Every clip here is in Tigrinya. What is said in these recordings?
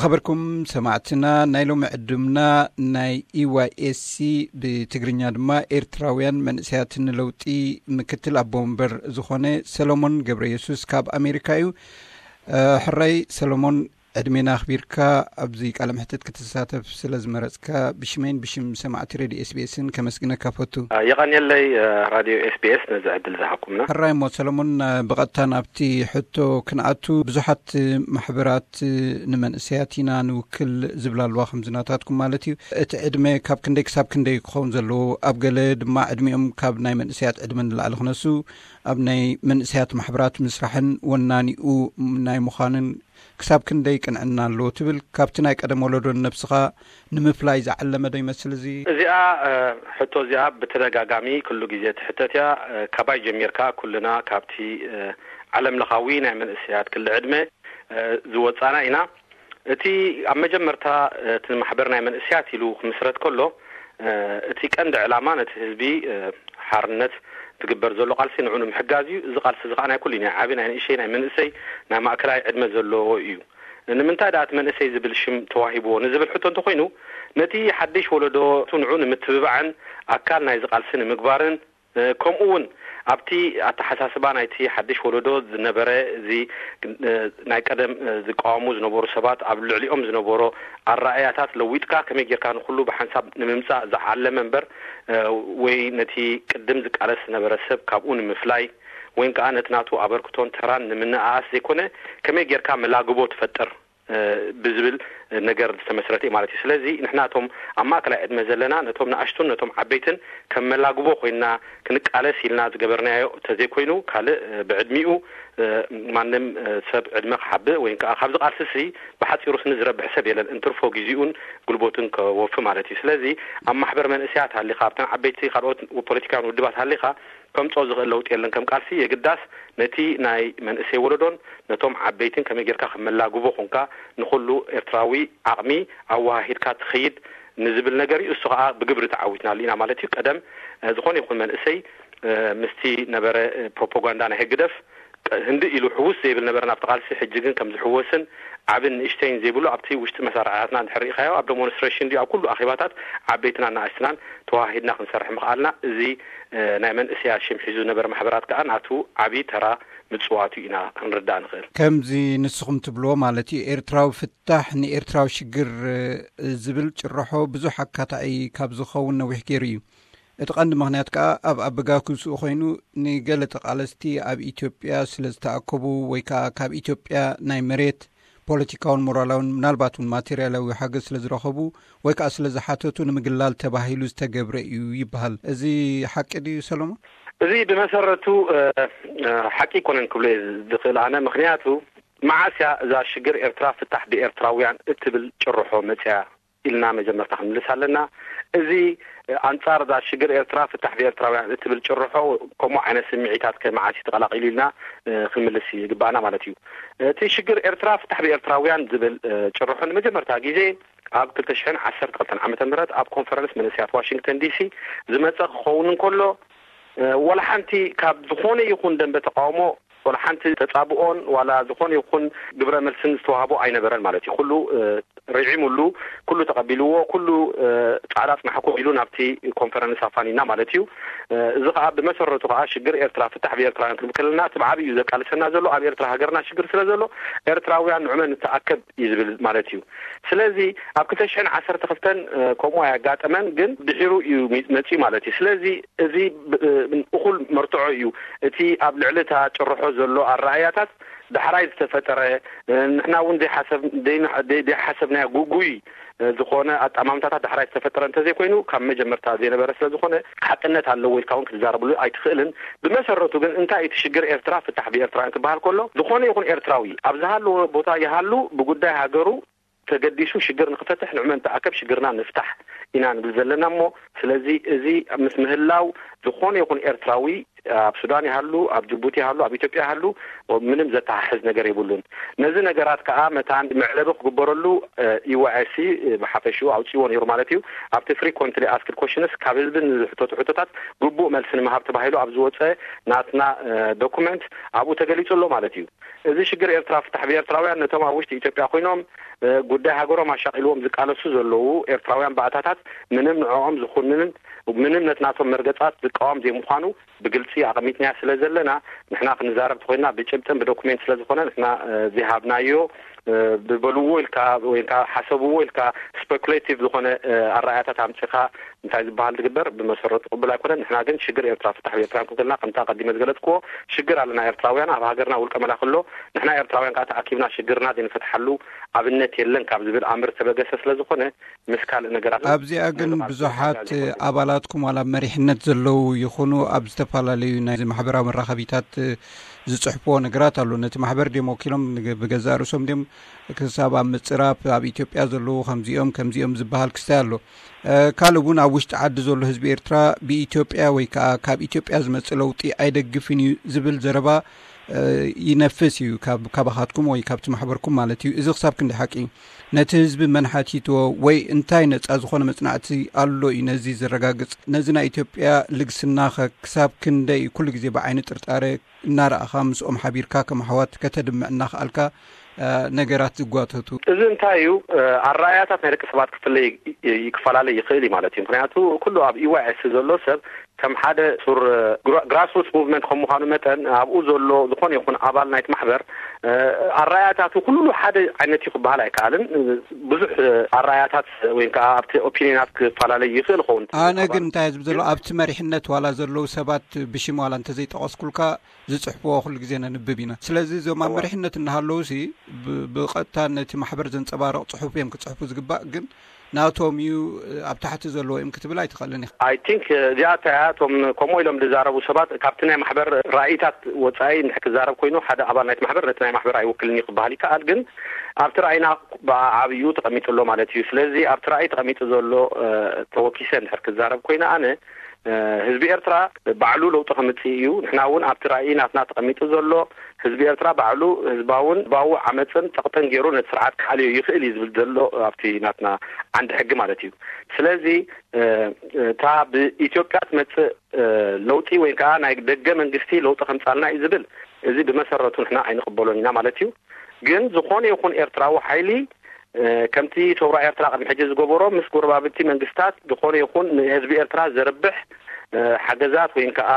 ኣበርኩም ሰማዕትና፣ ናይ ሎሚ ዕድምና ናይ ኢዋይኤስሲ፣ ብትግርኛ ድማ ኤርትራውያን መንእሰያት ንለውጢ፣ ምክትል ኣቦ ወንበር ዝኾነ ሰሎሞን ገብረ የሱስ ካብ ኣሜሪካ እዩ። ሕራይ ሰሎሞን፣ ዕድሜና ኣኽቢርካ ኣብዚ ቃለ መሕትት ክትሳተፍ ስለ ዝመረጽካ፣ ብሽመይን ብሽም ሰማዕቲ ሬድዮ ኤስቢኤስን ከመስግነካ ፈቱ። የቐንየለይ፣ ራድዮ ኤስቢኤስ፣ ነዚ ዕድል ዝሃብኩምና። ሕራይ እሞ ሰለሞን፣ ብቐጥታ ናብቲ ሕቶ ክንኣቱ። ብዙሓት ማሕበራት ንመንእሰያት ኢና ንውክል ዝብላ ኣለዋ፣ ከምዚ ናታትኩም ማለት እዩ። እቲ ዕድመ ካብ ክንደይ ክሳብ ክንደይ ክኸውን ዘለዎ፣ ኣብ ገለ ድማ ዕድሚኦም ካብ ናይ መንእሰያት ዕድመ ንላዕሊ ክነሱ፣ ኣብ ናይ መንእሰያት ማሕበራት ምስራሕን ወናኒኡ ናይ ምዃንን ክሳብ ክንደይ ቅንዕና ኣለዎ ትብል? ካብቲ ናይ ቀደም ወለዶ ንነብስኻ ንምፍላይ ዝዓለመ ዶ ይመስል እዚ? እዚኣ ሕቶ እዚኣ ብተደጋጋሚ ኩሉ ግዜ ትሕተት እያ። ካባይ ጀሚርካ ኩልና ካብቲ ዓለም ለኻዊ ናይ መንእሰያት ክሊ ዕድመ ዝወጻና ኢና። እቲ ኣብ መጀመርታ እቲ ማሕበር ናይ መንእሰያት ኢሉ ክምስረት ከሎ፣ እቲ ቀንዲ ዕላማ ነቲ ህዝቢ ሓርነት ትግበር ዘሎ ቃልሲ ንዑ ንምሕጋዝ እዩ። እዚ ቃልሲ እዚ ከዓ ናይ ኩሉ፣ ናይ ዓቢ፣ ናይ ንእሸይ፣ ናይ መንእሰይ፣ ናይ ማእከላይ ዕድመ ዘለዎ እዩ። ንምንታይ ደኣ እቲ መንእሰይ ዝብል ሽም ተዋሂብዎ ንዝብል ሕቶ እንተኾይኑ፣ ነቲ ሓድሽ ወለዶ ንዑ ንምትብባዕን ኣካል ናይዚ ቃልሲ ንምግባርን፣ ከምኡ እውን ኣብቲ ኣተሓሳስባ ናይቲ ሓድሽ ወለዶ ዝነበረ፣ እዚ ናይ ቀደም ዝቃወሙ ዝነበሩ ሰባት፣ ኣብ ልዕሊኦም ዝነበሮ ኣረኣእያታት ለዊጥካ ከመይ ጌርካ ንኹሉ ብሓንሳብ ንምምጻእ ዝዓለመ እምበር፣ ወይ ነቲ ቅድም ዝቃለስ ዝነበረ ሰብ ካብኡ ንምፍላይ፣ ወይም ከኣ ነቲ ናቱ ኣበርክቶን ተራን ንምንእኣስ ዘይኮነ፣ ከመይ ጌርካ መላግቦ ትፈጥር ብዝብል ነገር ዝተመስረተ እዩ ማለት እዩ። ስለዚ ንሕና እቶም ኣብ ማእከላይ ዕድመ ዘለና፣ ነቶም ንኣሽቱን ነቶም ዓበይትን ከም መላግቦ ኮይንና ክንቃለስ ኢልና ዝገበርናዮ እንተዘይኮይኑ፣ ካልእ ብዕድሚኡ ማንም ሰብ ዕድመ ክሓብእ ወይ ከኣ ካብዚ ቃልሲ እዚ ብሓጺሩ ስኒ ዝረብሕ ሰብ የለን፣ እንትርፎ ግዜኡን ጉልበቱን ከወፊ ማለት እዩ። ስለዚ ኣብ ማሕበር መንእሰያት ሃሊኻ፣ ኣብተን ዓበይቲ ካልኦት ፖለቲካውያን ውድባት ሃሊኻ፣ ከምጾ ዝኽእል ለውጢ የለን። ከም ቃልሲ የግዳስ ነቲ ናይ መንእሰይ ወለዶን ነቶም ዓበይትን ከመይ ጌርካ ከም መላግቦ ኮንካ ንኹሉ ኤርትራዊ ዓቕሚ ኣወሃሂድካ ትኸይድ ንዝብል ነገር እዩ። እሱ ኸኣ ብግብሪ ተዓዊትናሉ ኢና ማለት እዩ። ቀደም ዝኾነ ይኹን መንእሰይ ምስቲ ነበረ ፕሮፓጋንዳ ናይ ህግደፍ ህንዲ ኢሉ ሕውስ ዘይብል ነበረ ናብቲ ቃልሲ። ሕጂ ግን ከም ዝሕወስን ዓብን ንእሽተይን ዘይብሉ፣ ኣብቲ ውሽጢ መሳርሕታትና እንድሕር ርኢኻዮ፣ ኣብ ደሞንስትሬሽን ድዩ፣ ኣብ ኩሉ ኣኼባታት ዓበይትና ንኣሽትናን ተዋሂድና ክንሰርሕ ምኽኣልና፣ እዚ ናይ መንእሰያት ሽም ሒዙ ዝነበረ ማሕበራት ከኣ ናቱ ዓቢ ተራ ምጽዋቱ ኢና ክንርዳእ ንኽእል። ከምዚ ንስኹም ትብልዎ ማለት እዩ፣ ኤርትራዊ ፍታሕ ንኤርትራዊ ሽግር ዝብል ጭርሖ ብዙሕ ኣካታዒ ካብ ዝኸውን ነዊሕ ገይሩ እዩ። እቲ ቀንዲ ምኽንያት ከኣ ኣብ ኣበጋግስኡ ኮይኑ፣ ንገለ ተቓለስቲ ኣብ ኢትዮጵያ ስለ ዝተኣከቡ ወይ ከኣ ካብ ኢትዮጵያ ናይ መሬት፣ ፖለቲካውን ሞራላውን፣ ምናልባት እውን ማቴርያላዊ ሓገዝ ስለ ዝረኸቡ ወይ ከኣ ስለ ዝሓተቱ ንምግላል ተባሂሉ ዝተገብረ እዩ ይበሃል። እዚ ሓቂ ድዩ ሰሎሞን? እዚ ብመሰረቱ ሓቂ ኣይኮነን ክብሎ እየ ዝኽእል ኣነ። ምኽንያቱ፣ መዓስ እያ እዛ ሽግር ኤርትራ ፍታሕ ብኤርትራውያን እትብል ጭርሖ መጽያ ኢልና መጀመርታ ክንምልስ ኣለና። እዚ ኣንጻር እዛ ሽግር ኤርትራ ፍታሕ ብኤርትራውያን እትብል ጭርሖ ከምኡ ዓይነት ስምዒታት ከ መዓስ እዩ ተቐላቒሉ ኢልና ክንምልስ ይግባኣና ማለት እዩ። እቲ ሽግር ኤርትራ ፍታሕ ብኤርትራውያን ዝብል ጭርሖ ንመጀመርታ ግዜ ኣብ ክልተ ሽሕን ዓሰርተ ክልተን ዓመተ ምህረት ኣብ ኮንፈረንስ መንእሰያት ዋሽንግተን ዲሲ ዝመጸ ክኸውን እንከሎ፣ ወላ ሓንቲ ካብ ዝኾነ ይኹን ደንበ ተቃውሞ፣ ወላ ሓንቲ ተጻብኦን ዋላ ዝኾነ ይኹን ግብረ መልስን ዝተዋህቦ ኣይነበረን ማለት እዩ። ኩሉ ርዒሙሉ፣ ኩሉ ተቐቢልዎ፣ ኩሉ ጻዕዳ ጽናሕኩም ኢሉ ናብቲ ኮንፈረንስ ኣፋኒና ማለት እዩ። እዚ ኸኣ ብመሰረቱ ኸኣ ሽግር ኤርትራ ፍታሕ ብኤርትራውያን ክንብል ከለና እቲ ብዓቢኡ ዘቃልሰና ዘሎ ኣብ ኤርትራ ሃገርና ሽግር ስለ ዘሎ ኤርትራውያን ንዑመ ንተኣከብ እዩ ዝብል ማለት እዩ። ስለዚ ኣብ ክልተ ሽሕን ዓሰርተ ክልተን ከምኡ ኣያጋጠመን፣ ግን ድሒሩ እዩ መጽዩ ማለት እዩ። ስለዚ እዚ እኹል መርትዖ እዩ። እቲ ኣብ ልዕሊ እታ ጭርሖ ዘሎ ኣረኣእያታት ዳሕራይ ዝተፈጠረ፣ ንሕና እውን ዘይሓሰብናዮ ጉጉይ ዝኾነ ኣጠማምታታት ዳሕራይ ዝተፈጠረ እንተዘይኮይኑ፣ ካብ መጀመርታ ዘይነበረ ስለ ዝኾነ፣ ሓቅነት ኣለዎ ኢልካ እውን ክትዛረብሉ ኣይትኽእልን። ብመሰረቱ ግን እንታይ እቲ ሽግር ኤርትራ ፍታሕ ብኤርትራውያን ክበሃል ከሎ፣ ዝኾነ ይኹን ኤርትራዊ ኣብ ዝሃለዎ ቦታ ይሃሉ፣ ብጉዳይ ሃገሩ ተገዲሱ ሽግር ንኽፈትሕ ንዑመ ንተኣከብ ሽግርና ንፍታሕ ኢና ንብል ዘለና እሞ፣ ስለዚ እዚ ምስ ምህላው ዝኾነ ይኹን ኤርትራዊ ኣብ ሱዳን ይሃሉ፣ ኣብ ጅቡቲ ይሃሉ፣ ኣብ ኢትዮጵያ ይሃሉ፣ ምንም ዘተሓሕዝ ነገር የብሉን። ነዚ ነገራት ከዓ መታን መዕለቢ ክግበረሉ፣ እ፣ ዩ ኤስ ሲ፣ እ፣ ብሓፈሽኡ ኣውፅዎ ነይሩ ማለት እዩ። ኣብቲ ፍሪኮንትሊ ኣስክድ ኮሽንስ፣ ካብ ህዝቢ ንዝሕተቱ ሕቶታት ግቡእ መልሲ ንምሃብ ተባሂሉ ኣብ ዝወፀ ናትና፣ እ፣ ዶኩመንት ኣብኡ ተገሊፁ ኣሎ ማለት እዩ። እዚ ሽግር ኤርትራ ፍታሕ ብኤርትራውያን፣ ነቶም ኣብ ውሽጢ ኢትዮጵያ ኮይኖም፣ እ፣ ጉዳይ ሃገሮም ኣሻቒልዎም ዝቃለሱ ዘለዉ ኤርትራውያን ባእታታት፣ ምንም ንዕኦም ዝኹንንን ምንም ነቲ ናቶም መርገጻት ዝቃወም ዘይምዃኑ ብግልጺ ኣቐሚጥናዮ ስለ ዘለና፣ ንሕና ክንዛረብ ተኾይንና ብጭብጥን ብዶኩሜንት ስለ ዝኾነ፣ ንሕና፣ እ፣ ዘይሃብናዮ፣ እ፣ ብበልዎ ኢልካ ወይ ከዓ ሓሰብዎ ኢልካ ስፐኩሌቲቭ ዝኾነ፣ እ፣ ኣረኣእያታት ኣምጺኻ እንታይ ዝበሃል ዝግበር ብመሰረቱ ቅቡል ኣይኮነን። ንሕና ግን ሽግር ኤርትራ ፍታሕ ብኤርትራውያን ክንክልና፣ ከምቲ ኣቐዲመ ዝገለጽክዎ፣ ሽግር ኣለና ኤርትራውያን፣ ኣብ ሃገርና ውልቀ መላኺ ኣሎ። ንሕና ኤርትራውያን ከዓ ተኣኪብና ሽግርና ዘይንፈትሓሉ ኣብነት የለን ካብ ዝብል ኣምር ዝተበገሰ ስለ ዝኾነ፣ ምስ ካልእ ነገራት ኣብዚኣ ግን ናይ ብዙሓት ኣባላትኩም ዋላ ኣብ መሪሕነት ዘለዉ ይኹኑ ኣብ ዝተፈላለዩ ናይ ማሕበራዊ መራኸቢታት ዝጽሕፍዎ ነገራት ኣሎ። ነቲ ማሕበር ድዮም ወኪሎም ንገ-፣ ብገዛእ ርእሶም ድዮም ክሳብ ኣብ ምጽራፍ ኣብ ኢትዮጵያ ዘለዉ ከምዚኦም ከምዚኦም ዝበሃል ክስታይ ኣሎ። እ፣ ካልእ እውን ኣብ ውሽጢ ዓዲ ዘሎ ህዝቢ ኤርትራ ብኢትዮጵያ ወይ ከዓ ካብ ኢትዮጵያ ዝመጽእ ለውጢ ኣይደግፍን እዩ ዝብል ዘረባ፣ እ፣ ይነፍስ እዩ ካብ፣ ካባኻትኩም ወይ ካብቲ ማሕበርኩም ማለት እዩ። እዚ ክሳብ ክንደይ ሓቂ እዩ? ነቲ ህዝቢ መን ሓቲትዎ ወይ እንታይ ነጻ ዝኾነ መጽናዕቲ ኣሎ እዩ ነዚ ዘረጋግጽ? ነዚ ናይ ኢትዮጵያ ልግስናኸ ክሳብ ክንደይ ኩሉ ግዜ ብዓይኒ ጥርጣረ እናረኣኻ ምስኦም ሓቢርካ ከም ኣሕዋት ከተድምዕ እናኸኣልካ፣ እ፣ ነገራት ዝጓተቱ? እዚ እንታይ እዩ? እ፣ ኣረኣእያታት ናይ ደቂ ሰባት ክፍለ-፣ ይ-፣ ክፈላለ ይኽእል እዩ ማለት እዩ። ምኽንያቱ ኩሉ ኣብ ዩ ኤስ ሲ ዘሎ ሰብ ከም ሓደ ሱር ግራ-፣ ግራስሩትስ ሙቭመንት ከም ምዃኑ መጠን ኣብኡ ዘሎ ዝኾነ ይኹን ኣባል ናይቲ ማሕበር፣ እ፣ ኣረኣእያታቱ ኩሉ ሓደ ዓይነት እዩ ክበሃል ኣይከኣልን። ብዙሕ፣ እ፣ ኣረኣእያታት ወይ ከዓ ኣብቲ ኦፒኒናት ክፈላለ ይኽእል ይኸውን። ኣነ ግን እንታይ ዝብል ዘሎ ኣብቲ መሪሕነት ዋላ ዘለዉ ሰባት ብሽም ዋላ እንተዘይጠቐስኩልካ ዝጽሕፍዎ ኩሉ ግዜ ነንብብ ኢና። ስለዚ እዞም ኣብ እዋ። መሪሕነት እናሃለዉ ሲ ብ-፣ ብቐጥታ ነቲ ማሕበር ዘንጸባርቕ ጽሑፍ እዮም ክጽሕፉ ዝግባእ፣ ግን ናቶም እዩ፣ ኣብ ታሕቲ ዘለዎ እዮም ክትብል ኣይትኽእልን ኢኻ። ኣይ ቲንክ እዚኣ እታ እያ። እቶም ከምኡ ኢሎም ዝዛረቡ ሰባት ካብቲ ናይ ማሕበር ራእይታት ወጻኢ እንድሕር ክዛረብ ኮይኑ፣ ሓደ ኣባል ናይቲ ማሕበር ነቲ ናይ ማሕበር ኣይውክልን እዩ ክበሃል ይከኣል፣ ግን ኣብቲ ራእይና ብዓብዩ ተቐሚጡ ኣሎ ማለት እዩ። ስለዚ ኣብቲ ራእይ ተቐሚጡ ዘሎ፣ እ፣ ተወኪሰ እንድሕር ክዛረብ ኮይነ ኣነ፣ እ፣ ህዝቢ ኤርትራ ባዕሉ ለውጢ ከምጽእ እዩ። ንሕና እውን ኣብቲ ራእይ ናትና ተቐሚጡ ዘሎ ህዝቢ ኤርትራ ባዕሉ ህዝባውን ህዝባዊ ዓመጽን ጸቕጥን ገይሩ ነቲ ስርዓት ክኣልዮ ይኽእል እዩ ዝብል ዘሎ ኣብቲ ናትና ዓንዲ ሕጊ ማለት እዩ። ስለዚ፣ እ፣ እታ ብኢትዮጵያ ትመጽእ፣ እ፣ ለውጢ ወይ ከዓ ናይ ደገ መንግስቲ ለውጢ ከምጻልና እዩ ዝብል፣ እዚ ብመሰረቱ ንሕና ኣይንቕበሎን ኢና ማለት እዩ። ግን ዝኾነ ይኹን ኤርትራዊ ሓይሊ፣ እ፣ ከምቲ ሰውራ ኤርትራ ቅድሚ ሕጂ ዝገበሮ ምስ ጎረባብቲ መንግስታት ዝኾነ ይኹን ንህዝቢ ኤርትራ ዘርብሕ፣ እ፣ ሓገዛት ወይ ከዓ፣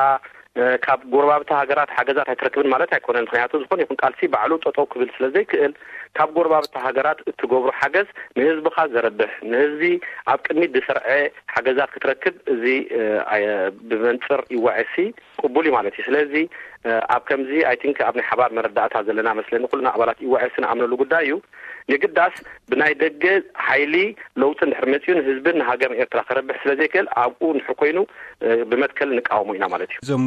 እ፣ ካብ ጎረባብቲ ሃገራት ሓገዛት ኣይትረክብን ማለት ኣይኮነን። ምኽንያቱ ዝኾነ ይኹን ቃልሲ ባዕሉ ጠጠው ክብል ስለ ዘይክእል፣ ካብ ጎረባብቲ ሃገራት እትገብሮ ሓገዝ ንህዝብኻ ዘርብሕ፣ ንህዝቢ ኣብ ቅድሚት ዝሰርዐ ሓገዛት ክትረክብ እዚ፣ እ፣ ኣየ-፣ ብመንጽር ዩ ኤስ ሲ ቅቡል እዩ ማለት እዩ። ስለዚ፣ እ፣ ኣብ ከምዚ፣ ኣይ ቲንክ፣ ኣብ ናይ ሓባር መረዳእታ ዘለና መስለኒ፣ ኩልና ኣባላት ዩ ኤስ ሲ ንኣምነሉ ጉዳይ እዩ። የግዳስ ብናይ ደገ ሓይሊ ለውጢ እንድሕር መጺኡ ንህዝብን ንሃገርን ኤርትራ ከረብሕ ስለ ዘይክእል፣ ኣብኡ እንድሕር ኮይኑ፣ እ፣ ብመትከል ንቃወሞ ኢና ማለት እዩ። እዞም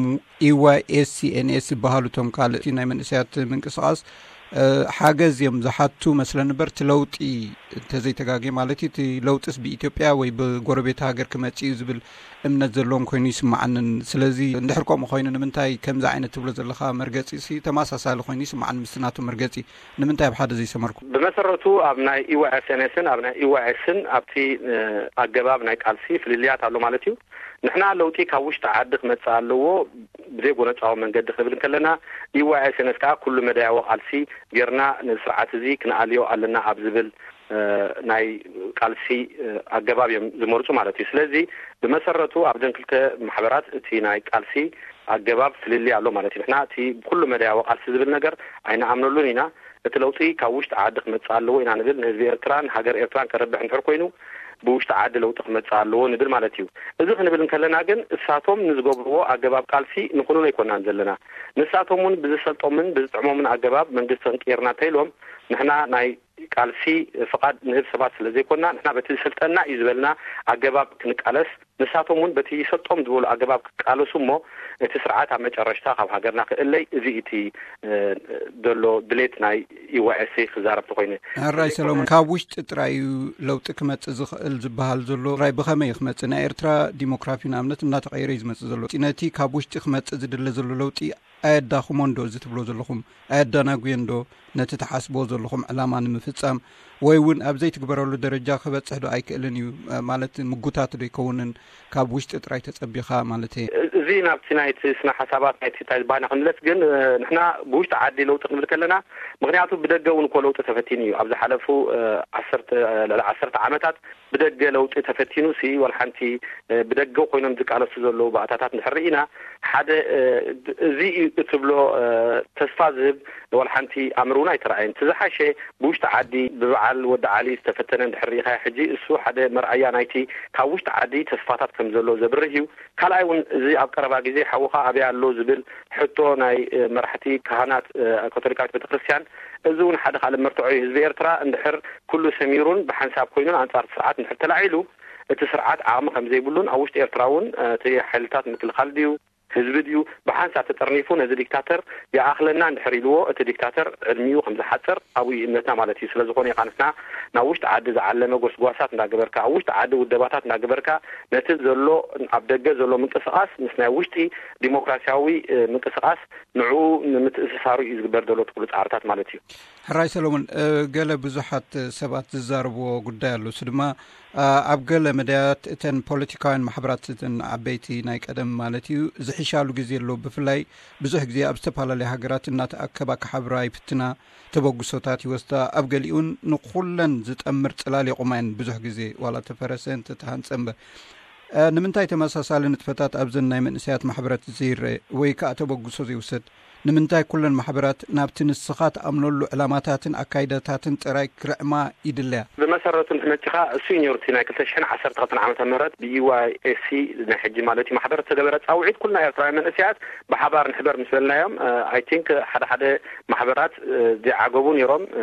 ዩ ዋይ ኤስ ሲ ኤን ኤስ ዝበሃሉ እቶም ካልእ ናይ መንእሰያት ምንቅስቓስ፣ እ፣ ሓገዝ እዮም ዝሓቱ መስለኒ እምበር፣ እቲ ለውጢ እንተዘይተጋግየ ማለት እዩ፣ እቲ ለውጢስ ብኢትዮጵያ ወይ ብጎረቤት ሃገር ክመጽእ እዩ ዝብል እምነት ዘለዎም ኮይኑ ይስምዓንን። ስለዚ እንድሕር ከምኡ ኮይኑ ንምንታይ ከምዚ ዓይነት ትብሎ ዘለኻ መርገጺ ሲ ተመሳሳሊ ኮይኑ ይስምዓኒ ምስቲ ናቱ መርገጺ? ንምንታይ ኣብ ሓደ ዘይሰመርኩም? ብመሰረቱ ኣብ ናይ ዩ ኤስ ኤን ኤስን ኣብ ናይ ዩ ኤስን ኣብቲ፣ እ፣ ኣገባብ ናይ ቃልሲ ፍልልያት ኣሎ ማለት እዩ። ንሕና ለውጢ ካብ ውሽጢ ዓዲ ክመጽእ ኣለዎ፣ ብዘይ ጎነጻዊ መንገዲ ክብል እንከለና፣ ዩ ኤስ ኤን ኤስ ከዓ ኩሉ መዳያዊ ቃልሲ ጌርና ነዚ ስርዓት እዚ ክንኣልዮ ኣለና ኣብ ዝብል፣ እ፣ ናይ ቃልሲ፣ እ፣ ኣገባብ እዮም ዝመርጹ ማለት እዩ። ስለዚ ብመሰረቱ ኣብዘን ክልተ ማሕበራት እቲ ናይ ቃልሲ ኣገባብ ፍልልይ ኣሎ ማለት እዩ። ንሕና እቲ ብኩሉ መዳያዊ ቃልሲ ዝብል ነገር ኣይንኣምነሉን ኢና። እቲ ለውጢ ካብ ውሽጢ ዓዲ ክመጽእ ኣለዎ ኢና ንብል። ንህዝቢ ኤርትራን ሃገር ኤርትራን ከረብሕ እንድሕር ኮይኑ ብውሽጢ ዓዲ ለውጢ ክመጽእ ኣለዎ ንብል ማለት እዩ። እዚ ክንብል እንከለና ግን እሳቶም ንዝገብርዎ ኣገባብ ቃልሲ ንኹንኖ ኣይኮናን ዘለና። ንሳቶም እውን ብዝሰልጦምን ብዝጥዕሞምን ኣገባብ መንግስቲ ክንቅይርና እንተኢሎም ንሕና ናይ ቃልሲ ፍቓድ ንህብ ሰባት ስለ ዘይኮና፣ ንሕና በቲ ዝሰልጠና እዩ ዝበልና ኣገባብ ክንቃለስ፣ ንሳቶም እውን በቲ ይሰልጦም ዝበሉ ኣገባብ ክቃለሱ እሞ፣ እቲ ስርዓት ኣብ መጨረሽታ ካብ ሃገርና ክእለይ፣ እዚ እቲ ዘሎ ድሌት ናይ ዩ ዋይ ኤስ ክዛረብ ተኮይነ። ሕራይ ሰሎሞን፣ ካብ ውሽጢ ጥራይ እዩ ለውጢ ክመጽእ ዝኽእል ዝበሃል ዘሎ። ጥራይ ብኸመይ እዩ ክመጽእ? ናይ ኤርትራ ዲሞክራፊ ንኣብነት እናተቐየረ እዩ ዝመጽእ ዘሎ። ነቲ ካብ ውሽጢ ክመጽእ ዝድለ ዘሎ ለውጢ ኣየዳኽሞን ዶ እዚ ትብሎ ዘለኹም? ኣየዳናጉየን ዶ ነቲ ትሓስብዎ ዘለኹም ዕላማ ንምፍጻም? ወይ እውን ኣብ ዘይትግበረሉ ደረጃ ክበጽሕ ዶ ኣይክእልን እዩ? ማለት ምጉታት ዶ ኣይከውንን? ካብ ውሽጢ ጥራይ ተጸቢኻ ማለት እየ። እዚ ናብቲ ናይቲ ስነ ሓሳባት ናይቲ እንታይ ዝበሃና ክንመለስ ግን፣ እ፣ ንሕና ብውሽጢ ዓዲ ለውጢ ክንብል ከለና፣ ምኽንያቱ ብደገ እውን እኮ ለውጢ ተፈቲኑ እዩ። ኣብ ዝሓለፉ፣ እ፣ ዓሰርተ፣ ልዕሊ ዓሰርተ ዓመታት ብደገ ለውጢ ተፈቲኑ ሲ ዋላ ሓንቲ፣ እ፣ ብደገ ኮይኖም ዝቃለሱ ዘለዉ ባእታታት እንድሕር ርኢና፣ ሓደ፣ እ፣ እዚ እዩ እትብሎ፣ እ፣ ተስፋ ዝህብ ዋላ ሓንቲ ኣምር እውን ኣይተረኣየን። እቲ ዝሓሸ ብውሽጢ ዓዲ ብበዓል ወዲ ዓሊ ዝተፈተነ እንድሕር ርኢኻ ሕጂ እሱ ሓደ መርኣያ ናይቲ ካብ ውሽጢ ዓዲ ተስፋታት ከም ዘሎ ዘብርህ እዩ። ካልኣይ እውን እዚ ኣብ ቀረባ ግዜ ሓውኻ ኣበይ ኣሎ ዝብል ሕቶ ናይ፣ እ፣ መራሕቲ ካህናት፣ እ፣ ካቶሊካዊት ቤተክርስትያን፣ እዚ እውን ሓደ ካልእ መርትዖ እዩ። ህዝቢ ኤርትራ እንድሕር ኩሉ ሰሚሩን ብሓንሳብ ኮይኑን ኣንጻር እቲ ስርዓት እንድሕር ተላዒሉ፣ እቲ ስርዓት ዓቕሚ ከም ዘይብሉን ኣብ ውሽጢ ኤርትራ እውን፣ እ፣ እቲ ሓይልታት ምክልኻል ድዩ ህዝቢ ድዩ ብሓንሳብ ተጠርኒፉ ነዚ ዲክታተር ይኣኽለና እንድሕር ኢልዎ፣ እቲ ዲክታተር ዕድሚኡ ከም ዝሓጽር ኣብኡ እዩ እምነትና ማለት እዩ። ስለ ዝኾነ ኢኻ ንሕና ናብ ውሽጢ ዓዲ ዝዓለመ ጎስጓሳት እንዳገበርካ፣ ኣብ ውሽጢ ዓዲ ውደባታት እንዳገበርካ፣ ነቲ ዘሎ ኣብ ደገ ዘሎ ምንቅስቓስ ምስ ናይ ውሽጢ ዲሞክራሲያዊ፣ እ፣ ምንቅስቓስ ንዕኡ ንምትእስሳሩ እዩ ዝግበር ዘሎ እቲ ኩሉ ጻዕርታት ማለት እዩ። ሕራይ ሰሎሞን፣ እ፣ ገለ ብዙሓት ሰባት ዝዛረብዎ ጉዳይ ኣሎ። እሱ ድማ፣ እ፣ ኣብ ገለ መዳያት እተን ፖለቲካውያን ማሕበራት፣ እተን ዓበይቲ ናይ ቀደም ማለት እዩ፣ ዝሕሻሉ ግዜ ኣሎ። ብፍላይ ብዙሕ ግዜ ኣብ ዝተፈላለያ ሃገራት እናተኣከባ ክሓብራ ይፍትና፣ ተበግሶታት ይወስዳ። ኣብ ገሊኡን ንኹለን ዝጠምር ጽላል የቑማ እየን ብዙሕ ግዜ፣ ዋላ ተፈረሰ እንተተሃንጸ እምበር። እ፣ ንምንታይ ተመሳሳሊ ንጥፈታት ኣብዘን ናይ መንእሰያት ማሕበራት ዘይረአ ወይ ከኣ ተበግሶ ዘይውሰድ? ንምንታይ ኩለን ማሕበራት ናብቲ ንስኻ ትኣምነሉ ዕላማታትን ኣካይዳታትን ጥራይ ክርዕማ ይድለያ? ብመሰረቱ እንድሕር መጺኻ፣ እሱ እዩ ነይሩ እቲ ናይ ክልተ ሽሕን ዓሰርተ ክልተን ዓመተ ምህረት ብ ዩ ዋይ ኤስ ሲ ናይ ሕጂ ማለት እዩ ማሕበር ዝተገበረ ጻውዒት፣ ኩልና ኤርትራውያን መንእሰያት ብሓባር ንሕበር ምስ በልናዮም፣ እ፣ ኣይ ቲንክ ሓደ ሓደ ማሕበራት፣ እ፣ ዘይዓገቡ ነይሮም። እ፣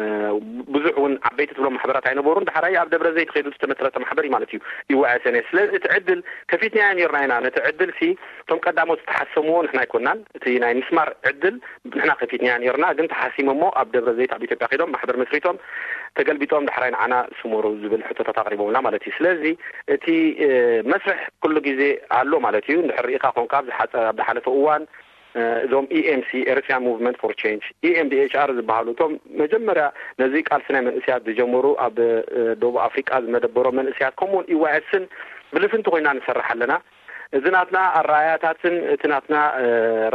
ብዙሕ እውን ዓበይቲ ትብሎም ማሕበራት ኣይነበሩን። ዳሕራይ ኣብ ደብረ ዘይት ከይዱ ዝተመስረተ ማሕበር እዩ ማለት እዩ ዩ ዋይ ኤስ ኤን ኤስ። ስለዚ እቲ ዕድል ከፊትናዮ ነይርና ኢና። ነቲ ዕድል ሲ እቶም ቀዳሞት ዝተሓሰምዎ ንሕና ኣይኮናን። እቲ ናይ ምስማር ዕድል ንሕና ከፊትናዮ ነይርና፣ ግን ተሓሲሞሞ ኣብ ደብረ ዘይት ኣብ ኢትዮጵያ ከይዶም ማሕበር መስሪቶም ተገልቢጦም ዳሕራይ ንዓና ስመሩ ዝብል ሕቶታት ኣቕሪቦምና ማለት እዩ። ስለዚ እቲ፣ እ፣ መስርሕ ኩሉ ግዜ ኣሎ ማለት እዩ። እንድሕር ርኢኻ ኮንካ ኣብ ዝሓጸ-፣ ኣብ ዝሓለፈ እዋን፣ እ፣ እዞም ኢ ኤም ሲ፣ ኤርትራን ሙቭመንት ፎር ቼንጅ፣ ኢ ኤም ዲ ኤች ኣር ዝበሃሉ እቶም መጀመርያ ነዚ ቃልሲ ናይ መንእስያት ዝጀመሩ ኣብ፣ እ፣ ደቡብ ኣፍሪቃ ዝመደበሮም መንእስያት ከምኡውን ዩ ዋይ ኤስን ብልፍንቲ ኮይና ንሰርሕ ኣለና። እዚ ናትና ኣረኣያታትን እቲ ናትና፣ እ፣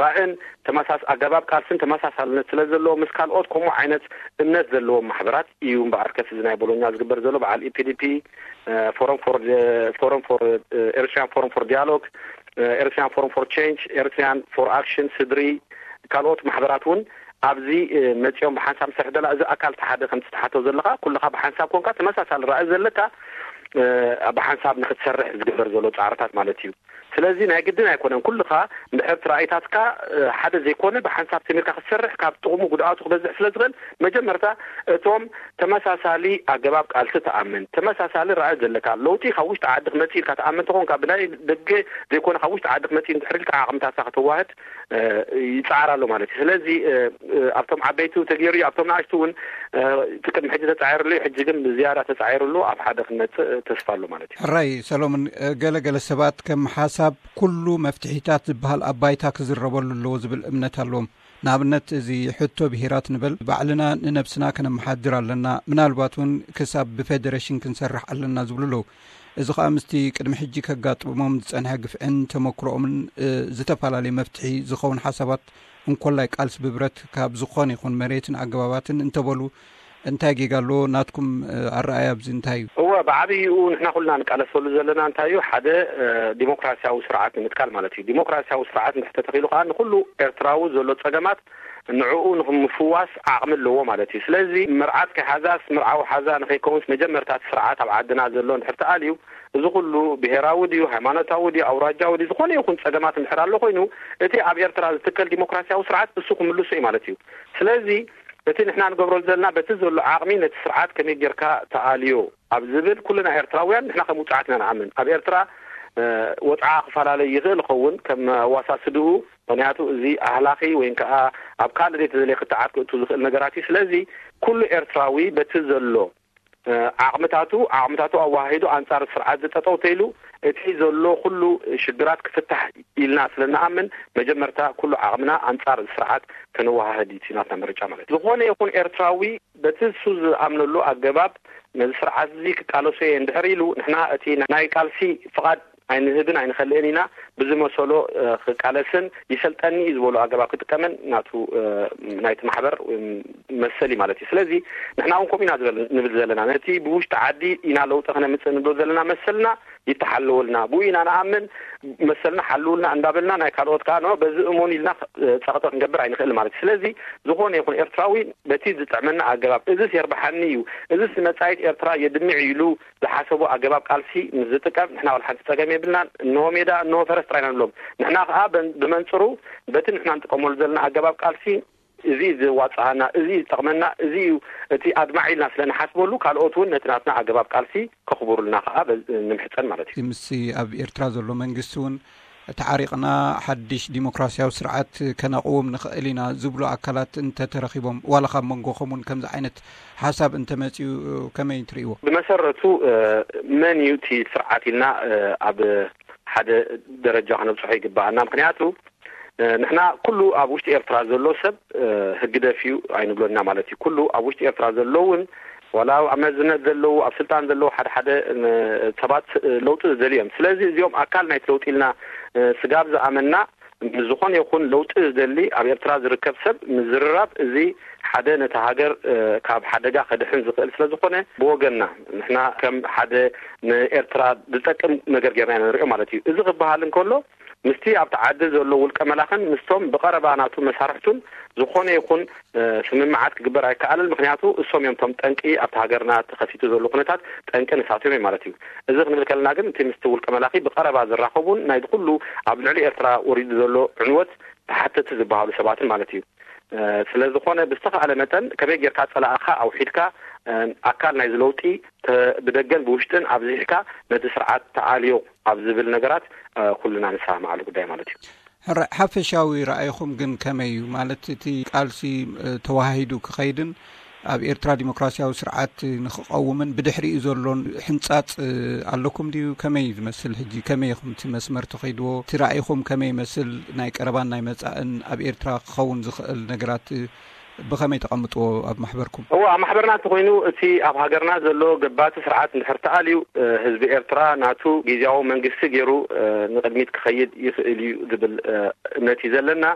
ራእን ተመሳስ-፣ ኣገባብ ቃልስን ተመሳሳልነት ስለ ዘለዎ ምስ ካልኦት ከምኡ ዓይነት እምነት ዘለዎም ማሕበራት እዩ እምበኣር ከስ እዚ ናይ ቦሎኛ ዝግበር ዘሎ በዓል ኢ ፒ ዲ ፒ፣ እ፣ ፎረም ፎር፣ እ፣ ፎረም ፎር፣ እ፣ ኤርትራን ፎረም ፎር ዲያሎግ፣ እ፣ ኤርትራን ፎረም ፎር ቼንጅ፣ ኤርትራን ፎር ኣክሽን፣ ስድሪ፣ ካልኦት ማሕበራት እውን ኣብዚ፣ እ፣ መጺኦም ብሓንሳብ ንሰርሕ ዘለና እዚ ኣካል እቲ ሓደ ከምቲ ትሓቶ ዘለኻ ኩልኻ ብሓንሳብ ኮንካ ተመሳሳሊ ራእይ ዘለካ፣ እ፣ ብሓንሳብ ንክትሰርሕ ዝግበር ዘሎ ጻዕርታት ማለት እዩ። ስለዚ ናይ ግድን ኣይኮነን ኩልኻ እንድሕር እቲ ራእይታትካ፣ እ፣ ሓደ ዘይኮነ ብሓንሳብ ተሚርካ ክትሰርሕ ካብ ጥቕሙ ጉድኣቱ ክበዝሕ ስለ ዝኽእል መጀመርታ እቶም ተመሳሳሊ ኣገባብ ቃልሲ ትኣምን፣ ተመሳሳሊ ራእይ ዘለካ፣ ለውጢ ካብ ውሽጢ ዓዲ ክመጽእ ኢልካ ትኣምን ተኾንካ ብናይ ደገ ዘይኮነ ካብ ውሽጢ ዓዲ ክመጽእ እንድሕር ኢልካ ዓቕምታትካ ከተዋህድ፣ እ፣ ይጽዓር ኣሎ ማለት እዩ። ስለዚ፣ እ፣ እ፣ ኣብቶም ዓበይቲ ተገይሩ እዩ፣ ኣብቶም ንኣሽቱ እውን፣ እ፣ እቲ ቅድሚ ሕጂ ተጻዒሩሉ እዩ፣ ሕጂ ግን ብዝያዳ ተጻዒሩሉ ኣብ ሓደ ክንመጽእ ተስፋ ኣሎ ማለት እዩ። ሕራይ ሰሎሞን፣ እ፣ ገለ ገለ ሰባት ከም ሓሳብ ኩሉ መፍትሒታት ዝበሃል ኣብ ባይታ ክዝረበሉ ኣለዎ ዝብል እምነት ኣለዎም። ንኣብነት እዚ ሕቶ ብሄራት ንበል፣ ባዕልና ንነብስና ከነመሓድር ኣለና፣ ምናልባት እውን ክሳብ ብፌደሬሽን ክንሰርሕ ኣለና ዝብሉ ኣለዉ። እዚ ኸኣ ምስቲ ቅድሚ ሕጂ ከጋጥሞም ዝጸንሐ ግፍዕን ተመክሮኦምን፣ እ፣ ዝተፈላለየ መፍትሒ ዝኸውን ሓሳባት እንኮላይ ቃልሲ ብብረት ካብ ዝኾነ ይኹን መሬትን ኣገባባትን እንተበሉ እንታይ ጌጋ ኣለዎ? ናትኩም፣ እ፣ ኣረኣእያ ኣብዚ እንታይ እዩ? እወ፣ ብዓብይኡ ንሕና ኩልና ንቃለሰሉ ዘለና እንታይ እዩ? ሓደ፣ እ፣ ዲሞክራሲያዊ ስርዓት ንምትካል ማለት እዩ። ዲሞክራሲያዊ ስርዓት እንድሕር ተተኺሉ ከኣ ንኹሉ ኤርትራዊ ዘሎ ጸገማት ንዕኡ ንኽምፍዋስ ዓቕሚ ኣለዎ ማለት እዩ። ስለዚ መርዓት ከይሓዛስ መርዓዊ ሓዛ ንኸይከውንስ መጀመርታ እቲ ስርዓት ኣብ ዓድና ዘሎ እንድሕር ተኣልዩ፣ እዚ ኩሉ ብሄራዊ ድዩ፣ ሃይማኖታዊ ድዩ፣ ኣውራጃዊ ድዩ፣ ዝኾነ ይኹን ጸገማት እንድሕር ኣሎ ኮይኑ፣ እቲ ኣብ ኤርትራ ዝትከል ዲሞክራሲያዊ ስርዓት እሱ ክምልሶ እዩ ማለት እዩ። ስለዚ እቲ ንሕና ንገብሮ ዘለና በቲ ዘሎ ዓቕሚ ነቲ ስርዓት ከመይ ጌርካ ተኣልዮ ኣብ ዝብል ኩልና ኤርትራውያን ንሕና ከም ውጽዓት ኢና ንኣምን። ኣብ ኤርትራ ወጽዓ ክፈላለይ ይኽእል ይኸውን ከም ኣዋሳስድኡ፣ ምኽንያቱ እዚ ኣህላኺ ወይ ከዓ ኣብ ካልእ ዘይተደለየ ክትዓት ክእቱ ዝኽእል ነገራት እዩ። ስለዚ ኩሉ ኤርትራዊ በቲ ዘሎ ዓቕምታቱ ዓቕምታቱ ኣዋሃሂዱ ኣንጻር ስርዓት ዝጠጠው ተይሉ እቲ ዘሎ ኩሉ ሽግራት ክፍታሕ ኢልና ስለ ንኣምን መጀመርታ ኩሉ ዓቕምና ኣንጻር ስርዓት ከነወሃህድ እዩ ናትና ምርጫ ማለት እዩ። ዝኾነ ይኹን ኤርትራዊ በቲ እሱ ዝኣምነሉ ኣገባብ ነዚ ስርዓት እዚ ክቃለሶ እየ እንድሕር ኢሉ ንሕና እቲ ናይ ቃልሲ ፍቓድ ኣይንህብን ኣይንኸልእን ኢና። ብዝመሰሎ ክቃለስን ይሰልጠኒ እዩ ዝበሎ ኣገባብ ክጥቀምን ናቱ ናይቲ ማሕበር መሰል እዩ ማለት እዩ። ስለዚ ንሕና እውን ከምኡ ኢና ንብል ዘለና። ነቲ ብውሽጢ ዓዲ ኢና ለውጢ ክነምፅእ ንብል ዘለና መሰልና ይተሓለወልና፣ ብኡ ኢና ንኣምን፣ መሰልና ሓልውልና እንዳበልና ናይ ካልኦት ከዓ ኖ በዚ እመኑ ኢልና ፀቕጢ ክንገብር ኣይንኽእል ማለት እዩ። ስለዚ ዝኾነ ይኹን ኤርትራዊ በቲ ዝጥዕመና ኣገባብ እዚስ የርብሓኒ እዩ፣ እዚስ ንመጻኢት ኤርትራ የድምዕ ኢሉ ዝሓሰቦ ኣገባብ ቃልሲ ምስ ዝጥቀም ንሕና ወላ ሓንቲ ጸገም የብልናን። እንሆ ሜዳ እንሆ ፈረስ ጥራይ ኢና ንብሎም። ንሕና ከዓ ብመንፅሩ በቲ ንሕና ንጥቀመሉ ዘለና ኣገባብ ቃልሲ እዚ ዘዋፅኣና፣ እዚ ዝጠቕመና፣ እዚ እዩ እቲ ኣድማዒ ኢልና ስለ ንሓስበሉ ካልኦት እውን ነቲ ናትና ኣገባብ ቃልሲ ከኽብሩልና ከዓ ንምሕፀን ማለት እዩ። ምስ ኣብ ኤርትራ ዘሎ መንግስቲ እውን ተዓሪቕና ሓድሽ ዲሞክራሲያዊ ስርዓት ከነቕውም ንኽእል ኢና ዝብሉ ኣካላት እንተተረኺቦም ዋላ ካብ መንጎኹም እውን ከምዚ ዓይነት ሓሳብ እንተመፅኡ ከመይ ትርእይዎ? ብመሰረቱ መን እዩ እቲ ስርዓት ኢልና ኣብ ሓደ ደረጃ ክነብፅሖ ይግባኣና። ምክንያቱ ንሕና ኩሉ ኣብ ውሽጢ ኤርትራ ዘሎ ሰብ ህግደፍ እዩ ኣይንብሎና ማለት እዩ። ኩሉ ኣብ ውሽጢ ኤርትራ ዘሎ እውን ዋላ ኣብ መዝነት ዘለዉ ኣብ ስልጣን ዘለዉ ሓደ ሓደ ሰባት ለውጢ ዝደልዩ እዮም። ስለዚ እዚኦም ኣካል ናይቲ ለውጢ ኢልና ስጋብ ዝኣመና ምስ ዝኾነ ይኹን ለውጢ ዝደሊ ኣብ ኤርትራ ዝርከብ ሰብ ምዝርራብ እዚ ሓደ ነቲ ሃገር ካብ ሓደጋ ከድሕን ዝኽእል ስለ ዝኾነ ብወገንና ንሕና ከም ሓደ ንኤርትራ ዝጠቅም ነገር ጌርና ኢና ንሪኦ ማለት እዩ። እዚ ክበሃል እንከሎ ምስቲ ኣብቲ ዓዲ ዘሎ ውልቀ መላኽን ምስቶም ብቐረባ ናቱ መሳርሕቱን ዝኾነ ይኹን ስምምዓት ክግበር ኣይከኣልን። ምክንያቱ እሶም እዮም ቶም ጠንቂ ኣብቲ ሃገርና ተኸሲቱ ዘሎ ኩነታት ጠንቂ ንሳቶም እዮም ማለት እዩ። እዚ ክንብል ከለና ግን እቲ ምስቲ ውልቀ መላኺ ብቐረባ ዝራኸቡን ናይ ኩሉ ኣብ ልዕሊ ኤርትራ ወሪዱ ዘሎ ዕንወት ተሓተቲ ዝበሃሉ ሰባትን ማለት እዩ። ስለዝኾነ ብዝተኻእለ መጠን ከመይ ጌርካ ጸላእኻ ኣውሒድካ ኣካል ናይዚ ለውጢ ብደገን ብውሽጥን ኣብዚሕካ ነቲ ስርዓት ተኣልዮ ኣብ ዝብል ነገራት ኩልና ንሰማማዓሉ ጉዳይ ማለት እዩ። ሕራይ ሓፈሻዊ ረኣይኹም ግን ከመይ እዩ? ማለት እቲ ቃልሲ ተዋሃሂዱ ክኸይድን ኣብ ኤርትራ ዲሞክራሲያዊ ስርዓት ንክቐውምን ብድሕሪኡ ዘሎን ሕንጻጽ ኣለኩም ድዩ? ከመይ እዩ ዝመስል ሕጂ? ከመይ ኢኹም እቲ መስመር ትኸይድዎ? እቲ ራእይኹም ከመይ ይመስል? ናይ ቀረባን ናይ መጻእን ኣብ ኤርትራ ክኸውን ዝኽእል ነገራት ብኸመይ ተቐምጥዎ ኣብ ማሕበርኩም? እወ፣ ኣብ ማሕበርና እንተኾይኑ እቲ ኣብ ሃገርና ዘሎ ገባቲ ስርዓት እንድሕር ተኣልዩ ህዝቢ ኤርትራ ናቱ ግዝያዊ መንግስቲ ገይሩ ንቕድሚት ክኸይድ ይኽእል እዩ ዝብል እምነት እዩ ዘለና።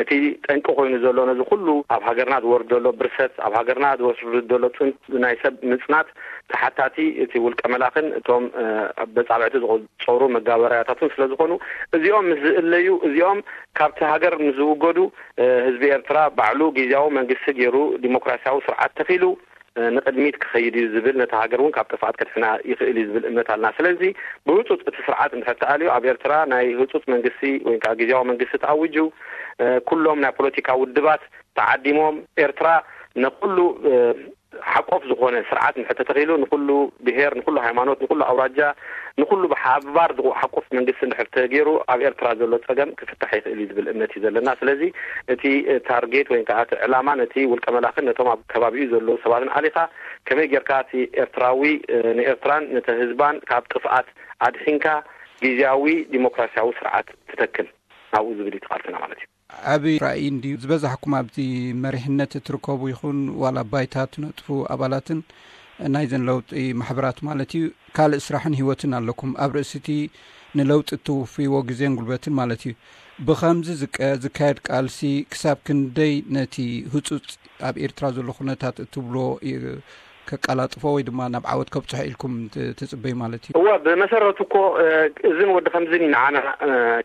እቲ ጠንቂ ኮይኑ ዘሎ ነዚ ኩሉ ኣብ ሃገርና ዝወርድ ዘሎ ብርሰት፣ ኣብ ሃገርና ዝወርድ ዘሎ ጽንት ናይ ሰብ ምጽናት ተሓታቲ እቲ ውልቀ መላኽን እቶም በጻብዕቲ ዝቆጸሩ መጋበርያታቱን ስለ ዝኾኑ እዚኦም ምስ ዝእለዩ እዚኦም ካብቲ ሃገር ምስ ዝውገዱ ህዝቢ ኤርትራ ባዕሉ ግዝያዊ መንግስቲ ገይሩ ዲሞክራሲያዊ ስርዓት ተኺሉ ንቕድሚት ክኸይድ እዩ ዝብል ነቲ ሃገር እውን ካብ ጥፍኣት ከድሕና ይኽእል እዩ ዝብል እምነት ኣለና። ስለዚ ብህፁፅ እቲ ስርዓት እንድሕር ተኣልዩ ኣብ ኤርትራ ናይ ህፁፅ መንግስቲ ወይ ከዓ ግዝያዊ መንግስቲ ተኣዊጁ ኩሎም ናይ ፖለቲካ ውድባት ተዓዲሞም ኤርትራ ንኩሉ ሓቆፍ ዝኾነ ስርዓት እንድሕር ተተኺሉ ንኩሉ ብሄር፣ ንኩሉ ሃይማኖት፣ ንኩሉ ኣውራጃ፣ ንኩሉ ብሓባር ዝሓቁፍ መንግስቲ እንድሕር ተገይሩ ኣብ ኤርትራ ዘሎ ፀገም ክፍታሕ ይኽእል እዩ ዝብል እምነት እዩ ዘለና። ስለዚ እቲ ታርጌት ወይ ከዓ እቲ ዕላማ ነቲ ውልቀ መላኽን ነቶም ኣብ ከባቢኡ ዘለዉ ሰባትን ኣሊኻ ከመይ ጌርካ እቲ ኤርትራዊ ንኤርትራን ነቲ ህዝባን ካብ ጥፍኣት ኣድሒንካ ግዝያዊ ዲሞክራሲያዊ ስርዓት ትተክል ናብኡ ዝብል እዩ ቃልስና ማለት እዩ። ዓቢ ራእይ እንድዩ ዝበዛሕኩም ኣብዚ መሪሕነት እትርከቡ ይኹን ዋላ ባይታ ትነጥፉ ኣባላትን ናይዘን ለውጢ ማሕበራት ማለት እዩ ካልእ ስራሕን ህይወትን ኣለኩም ኣብ ርእሲ እቲ ንለውጢ እትውፍይዎ ግዜን ጉልበትን ማለት እዩ። ብኸምዚ ዝቀ- ዝካየድ ቃልሲ ክሳብ ክንደይ ነቲ ህጹጽ ኣብ ኤርትራ ዘሎ ኩነታት እትብሎ ከቃላጥፎ ወይ ድማ ናብ ዓወት ከብጽሖ ኢልኩም ትጽበዩ ማለት እዩ? እወ፣ ብመሰረቱ እኮ እዝን ወዲ ከምዝን እዩ ንዓና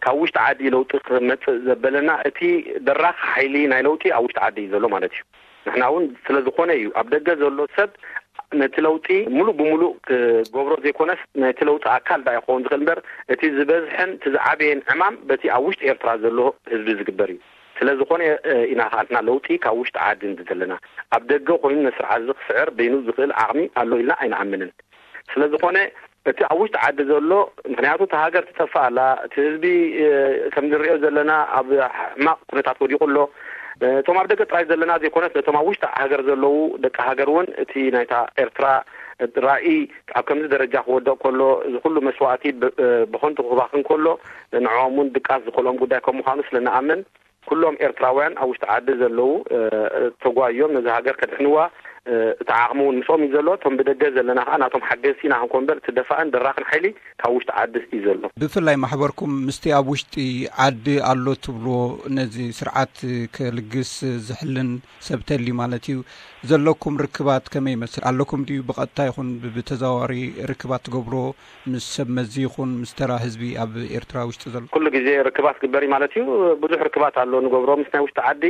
ካብ ውሽጢ ዓዲ ለውጢ ክመጽእ ዘበለና። እቲ ደራኺ ሓይሊ ናይ ለውጢ ኣብ ውሽጢ ዓዲ እዩ ዘሎ ማለት እዩ። ንሕና እውን ስለ ዝኾነ እዩ ኣብ ደገ ዘሎ ሰብ ነቲ ለውጢ ሙሉእ ብሙሉእ ክገብሮ ዘይኮነስ ነቲ ለውጢ ኣካል ዳ ይኸውን ዝኽእል እምበር እቲ ዝበዝሐን እቲ ዝዓበየን ዕማም በቲ ኣብ ውሽጢ ኤርትራ ዘሎ ህዝቢ ዝግበር እዩ። ስለዝኾነ ኢና ከዓንትና ለውጢ ካብ ውሽጢ ዓዲ እንዲ ዘለና። ኣብ ደገ ኮይኑ ነስርዓት እዚ ክስዕር በይኑ ዝኽእል ዓቕሚ ኣሎ ኢልና ኣይንኣምንን። ስለዝኾነ እቲ ኣብ ውሽጢ ዓዲ ዘሎ፣ ምክንያቱ እቲ ሃገር ትጠፍእ ኣላ፣ እቲ ህዝቢ ከም ንሪኦ ዘለና ኣብ ሕማቕ ኩነታት ወዲቑ ኣሎ። እቶም ኣብ ደገ ጥራይ ዘለና ዘይኮነስ ነቶም ኣብ ውሽጢ ሃገር ዘለዉ ደቂ ሃገር እውን እቲ ናይታ ኤርትራ ራእይ ኣብ ከምዚ ደረጃ ክወደቕ ከሎ፣ እዚ ኩሉ መስዋእቲ ብኸንቱ ክባኽን ከሎ፣ ንዕኦም እውን ድቃስ ዝኸልኦም ጉዳይ ከም ምዃኑ ስለ ንኣምን፣ ኩሎም ኤርትራውያን ኣብ ውሽጢ ዓዲ ዘለዉ ተጓዮም ነዚ ሃገር ከድሕንዋ እቲ ዓቕሚ እውን ምስኦም እዩ ዘሎ። እቶም ብደገ ዘለና ከዓ ናቶም ሓገዝቲ ኢና ክንኮን እምበር፣ እቲ ደፋእን ደራኽን ሓይሊ ካብ ውሽጢ ዓዲ እዩ ዘሎ። ብፍላይ ማሕበርኩም ምስቲ ኣብ ውሽጢ ዓዲ ኣሎ ትብልዎ፣ ነዚ ስርዓት ከልግስ ዝሕልን ሰብ ተልዩ ማለት እዩ፣ ዘለኩም ርክባት ከመይ ይመስል? ኣለኩም ድዩ ብቐጥታ ይኹን ብተዘዋዋሪ ርክባት ትገብርዎ ምስ ሰብ መዚ ይኹን ምስ ተራ ህዝቢ ኣብ ኤርትራ ውሽጢ ዘሎ? ኩሉ ግዜ ርክባት ግበር እዩ ማለት እዩ። ብዙሕ ርክባት ኣሎ ንገብሮ ምስ ናይ ውሽጢ ዓዲ።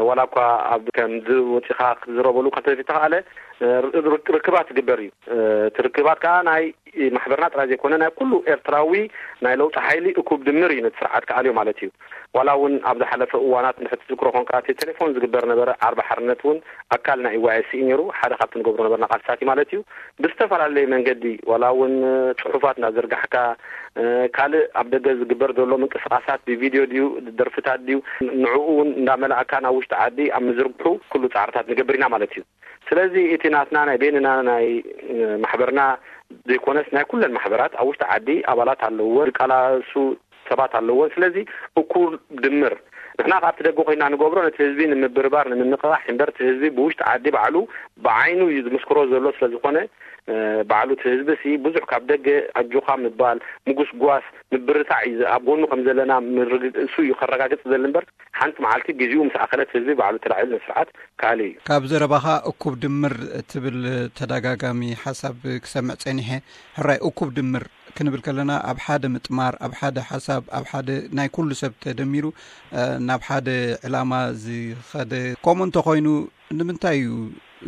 ዋላ እኳ ኣብ ከም ወፂኻ ክትዝረበሉ ከተተተኻኣለ ርክባት ትግበር እዩ። እቲ ርክባት ከዓ ናይ ማሕበርና ጥራይ ዘይኮነ ናይ ኩሉ ኤርትራዊ ናይ ለውጢ ሓይሊ እኩብ ድምር እዩ ነቲ ስርዓት ክኣልዮ ማለት እዩ። ዋላ እውን ኣብ ዝሓለፈ እዋናት እንድሕር ትዝክሮ ኮንካ እቲ ቴሌፎን ዝግበር ነበረ ዓርቢ ሓርነት እውን ኣካል ናይ ኢዋኤስ እዩ ነይሩ። ሓደ ካብቲ ንገብሮ ነበርና ቃልስታት እዩ ማለት እዩ። ብዝተፈላለየ መንገዲ ዋላ እውን ፅሑፋት እናዘርጋሕካ ካልእ ኣብ ደገ ዝግበር ዘሎ ምንቅስቃሳት ብቪድዮ ድዩ ደርፍታት ድዩ ንዕኡ እውን እንዳመላእካ ናብ ውሽጢ ዓዲ ኣብ ምዝርግሑ ኩሉ ፃዕርታት ንገብር ኢና ማለት እዩ። ስለዚ እቲ ናትና ናይ ቤንና ናይ ማሕበርና ዘይኮነስ ናይ ኩለን ማሕበራት ኣብ ውሽጢ ዓዲ ኣባላት ኣለዎ ዝቃላሱ ሰባት ኣለዎን። ስለዚ እኩል ድምር ንሕና ካብቲ ደገ ኮይና ንገብሮ ነቲ ህዝቢ ንምብርባር ንምንቕቓሕ እምበር እቲ ህዝቢ ብውሽጢ ዓዲ ባዕሉ ብዓይኑ እዩ ዝምስክሮ ዘሎ። ስለዝኾነ ባዕሉ እቲ ህዝቢ ሲ ብዙሕ ካብ ደገ ኣጆኻ ምባል ምጉስጓስ ምብርታዕ እዩ ኣብ ጎኑ ከም ዘለና እሱ እዩ ከረጋግፅ ዘል እምበር ሓንቲ መዓልቲ ግዜኡ ምስ ኣኸለት ህዝቢ ባዕሉ ተላዒሉ ንስርዓት ካልእ እዩ። ካብ ዘረባኻ እኩብ ድምር ትብል ተደጋጋሚ ሓሳብ ክሰምዕ ጸኒሐ። ሕራይ እኩብ ድምር ክንብል ከለና ኣብ ሓደ ምጥማር፣ ኣብ ሓደ ሓሳብ፣ ኣብ ሓደ ናይ ኩሉ ሰብ ተደሚሩ ናብ ሓደ ዕላማ ዝኸደ ከምኡ እንተኾይኑ ንምንታይ እዩ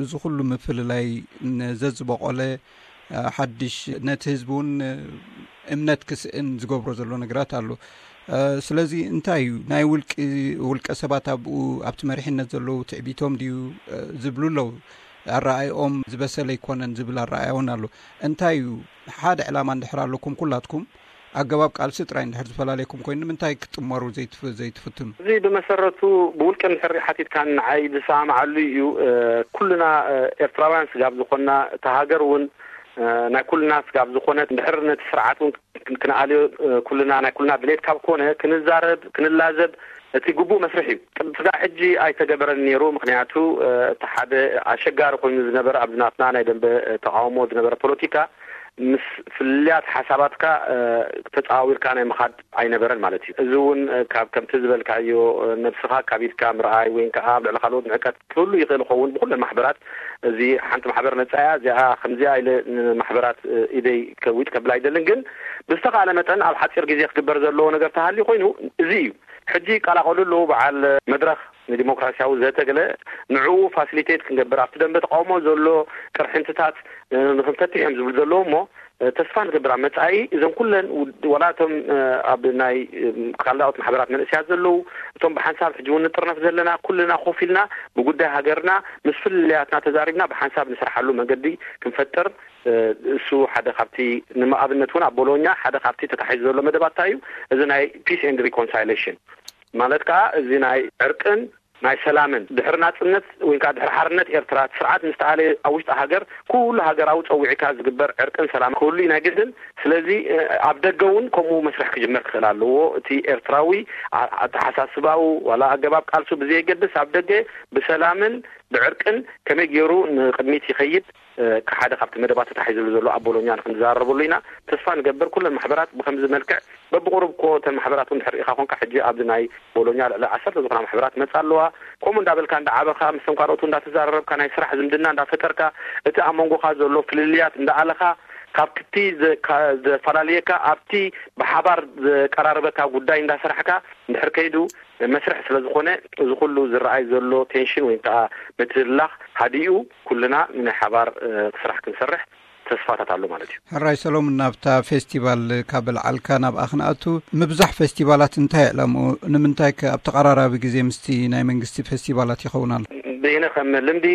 እዚ ኩሉ ምፍልላይ ዘዝበቆለ ሓድሽ ነቲ ህዝቢ እውን እምነት ክስእን ዝገብሮ ዘሎ ነገራት ኣሎ። ስለዚ እንታይ እዩ ናይ ውልቂ ውልቀ ሰባት ኣብኡ ኣብቲ መሪሕነት ዘለዉ ትዕቢቶም ድዩ ዝብሉ ኣለዉ። ኣረኣይኦም ዝበሰለ ኣይኮነን ዝብል ኣረኣያ እውን ኣሎ። እንታይ እዩ ሓደ ዕላማ እንድሕር ኣለኩም ኩላትኩም ኣገባብ ቃልሲ ጥራይ እንድሕር ዝፈላለየኩም ኮይኑ ንምንታይ ክትጥመሩ ዘይትፍትኑ? እዚ ብመሰረቱ ብውልቂ እንድሕር ሓቲትካ ንዓይ ዝሰማማዓሉ እዩ። ኩልና ኤርትራውያን ስጋብ ዝኾንና እታ ሃገር እውን ናይ ኩልና ስጋብ ዝኾነት እንድሕር ነቲ ስርዓት እውን ክንኣልዮ ኩልና ናይ ኩልና ድሌት ካብ ኮነ ክንዛረብ ክንላዘብ እቲ ግቡእ መስርሕ እዩ። ቅድሚ ስጋዕ ሕጂ ኣይተገበረን ነይሩ። ምክንያቱ እቲ ሓደ ኣሸጋሪ ኮይኑ ዝነበረ ኣብዚ ናትና ናይ ደንበ ተቃውሞ ዝነበረ ፖለቲካ ምስ ፍልልያት ሓሳባትካ ተጻዋዊርካ ናይ ምኻድ ኣይነበረን ማለት እዩ። እዚ እውን ካብ ከምቲ ዝበልካዮ ነብስኻ ካቢድካ ምርኣይ ወይ ከዓ ኣብ ልዕሊ ካልኦት ንዕቀት ክህሉ ይኽእል ይኸውን። ብኩለን ማሕበራት እዚ ሓንቲ ማሕበር ነጻያ እዚኣ ከምዚኣ ኢለ ንማሕበራት ኢደይ ከዊጥ ከብል ኣይደልን። ግን ብዝተኻለ መጠን ኣብ ሓፂር ግዜ ክግበር ዘለዎ ነገር ተሃልዩ ኮይኑ እዚ እዩ። ሕጂ ይቀላቐሉ ኣለዉ በዓል መድረኽ ንዲሞክራሲያዊ ዘተገለ ንዕኡ ፋሲሊቴት ክንገብር ኣብቲ ደንበ ተቃውሞ ዘሎ ቅርሕንትታት ንክንፈትሕ እዮም ዝብሉ ዘለዉ እሞ ተስፋ ንገብር ኣብ መጻኢ እዞም ኩለን ወላ እቶም ኣብ ናይ ካልዳኦት ማሕበራት መንእስያት ዘለዉ እቶም ብሓንሳብ ሕጂ እውን ንጥርነፍ ዘለና ኩልና ኮፍ ኢልና ብጉዳይ ሃገርና ምስ ፍልልያትና ተዛሪብና ብሓንሳብ ንስርሓሉ መንገዲ ክንፈጥር እሱ ሓደ ካብቲ ንኣብነት እውን ኣብ ቦሎኛ ሓደ ካብቲ ተታሒዙ ዘሎ መደባትታ እዩ። እዚ ናይ peace and reconciliation ማለት ከዓ እዚ ናይ ዕርቅን ናይ ሰላምን ድሕሪ ናፅነት ወይ ከዓ ድሕሪ ሓርነት ኤርትራ ስርዓት ምስ ተኣለየ ኣብ ውሽጢ ሃገር ኩሉ ሃገራዊ ፀዊዕካ ዝግበር ዕርቅን ሰላም ክህሉ እዩ ናይ ግድን። ስለዚ ኣብ ደገ እውን ከምኡ መስርሕ ክጅመር ክኽእል ኣለዎ። እቲ ኤርትራዊ ኣተሓሳስባኡ ዋላ ኣገባብ ቃልሱ ብዘየገድስ ኣብ ደገ ብሰላምን ብዕርቅን ከመይ ገይሩ ንቅድሚት ይኸይድ ሓደ ካብቲ መደባት ተታሒዝሉ ዘሎ ኣብ ቦሎኛ ንክንዘራረበሉ ኢና ተስፋ ንገብር። ኩለን ማሕበራት ብከምዚ መልክዕ በብቁሩብ እኮ እተን ማሕበራት እውን ድሕር ኢኻ ኮንካ ሕጂ ኣብዚ ናይ ቦሎኛ ልዕሊ ዓሰርተ ዝኾና ማሕበራት መፃ ኣለዋ። ከምኡ እንዳበልካ እንዳዓበኻ ምስቶም ካልኦቱ እንዳተዘራረብካ ናይ ስራሕ ዝምድና እንዳፈጠርካ እቲ ኣብ መንጎኻ ዘሎ ፍልልያት እንዳኣለኻ ካብ ክቲ ዘፈላለየካ ኣብቲ ብሓባር ዘቀራርበካ ጉዳይ እንዳሰራሕካ እንድሕር ከይዱ መስርሕ ስለዝኾነ እዚ ኩሉ ዝረኣይ ዘሎ ቴንሽን ወይ ከዓ ምትህልላኽ ሃዲኡ ኩልና ናይ ሓባር ስራሕ ክንሰርሕ ተስፋታት ኣሎ ማለት እዩ። ሕራይ ሰሎሙን፣ ናብታ ፌስቲቫል ካብ ልዓልካ ናብኣ ክንኣቱ፣ ምብዛሕ ፌስቲቫላት እንታይ ዕላምኡ? ንምንታይ ከ ኣብ ተቐራራቢ ግዜ ምስቲ ናይ መንግስቲ ፌስቲቫላት ይኸውን ኣሎ? ብይነ ከም ልምዲ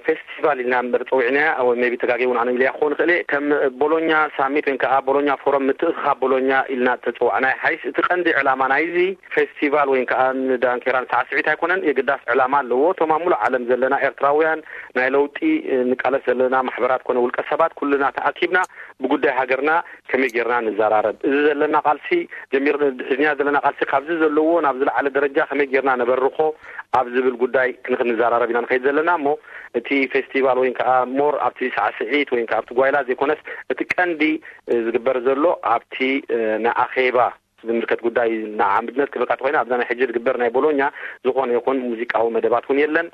ፌስቲቫል ኢልና እምበር ፀዊዕናያ፣ ወይ ቢ ተጋጊ እውን ኣነ ኢልያ ክኸውን ክእል እየ። ከም ቦሎኛ ሳሚት ወይ ከዓ ቦሎኛ ፎረም፣ ምትእኽኻብ ቦሎኛ ኢልና ተፀዋዕናያ ሓይስ፣ እቲ ቀንዲ ዕላማ ናይዚ ፌስቲቫል ወይ ከዓ ንዳንኬራን ሳዕስዒት ኣይኮነን። የግዳስ ዕላማ ኣለዎ። እቶም ኣብ ሙሉእ ዓለም ዘለና ኤርትራውያን፣ ናይ ለውጢ ንቃለስ ዘለና ማሕበራት ኮነ ውልቀ ሰባት ኩልና ተኣኪብና ብጉዳይ ሃገርና ከመይ ጌርና ንዘራረብ፣ እዚ ዘለና ቃልሲ ጀሚር ሒዝና ዘለና ቃልሲ ካብዚ ዘለዎ ናብ ዝለዓለ ደረጃ ከመይ ጌርና ነበርኾ ኣብ ዝብል ጉዳይ ክንክ ንዘራረብ ኢና ንኸይድ ዘለና። እሞ እቲ ፌስቲቫል ወይ ከዓ ሞር ኣብቲ ሳዕስዒት ወይ ከዓ ኣብቲ ጓይላ ዘይኮነስ፣ እቲ ቀንዲ ዝግበር ዘሎ ኣብቲ ንኣኼባ ዝምልከት ጉዳይ ንዓምድነት ክብልካ ተኮይና፣ ኣብዛ ናይ ሕጂ ዝግበር ናይ ቦሎኛ ዝኾነ ይኹን ሙዚቃዊ መደባት እውን የለን።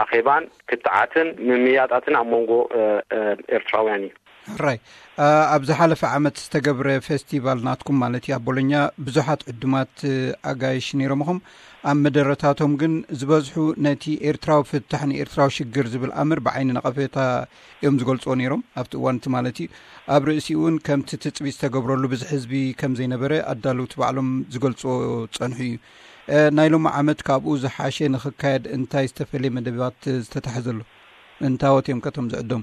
ኣኼባን ክትዓትን ምምያጣትን ኣብ መንጎ ኤርትራውያን እዩ። ሕራይ፣ ኣብ ዝሓለፈ ዓመት ዝተገብረ ፌስቲቫል ናትኩም ማለት እዩ ኣብ ቦሎኛ ብዙሓት ዕዱማት ኣጋይሽ ነይሮምኹም። ኣብ መደረታቶም ግን ዝበዝሑ ነቲ ኤርትራዊ ፍታሕ ንኤርትራዊ ሽግር ዝብል ኣምር ብዓይኒ ነቐፌታ እዮም ዝገልጽዎ ነይሮም ኣብቲ እዋን እቲ ማለት እዩ። ኣብ ርእሲኡ እውን ከምቲ ትጽቢት ዝተገብረሉ ብዙሕ ህዝቢ ከም ዘይነበረ ኣዳለውቲ ባዕሎም ዝገልጽዎ ጸንሑ እዩ። ናይ ሎሚ ዓመት ካብኡ ዝሓሸ ንኽካየድ እንታይ ዝተፈለየ መደባት ዝተታሕዘሉ? እንታወት እዮም ከቶም ዝዕደሙ?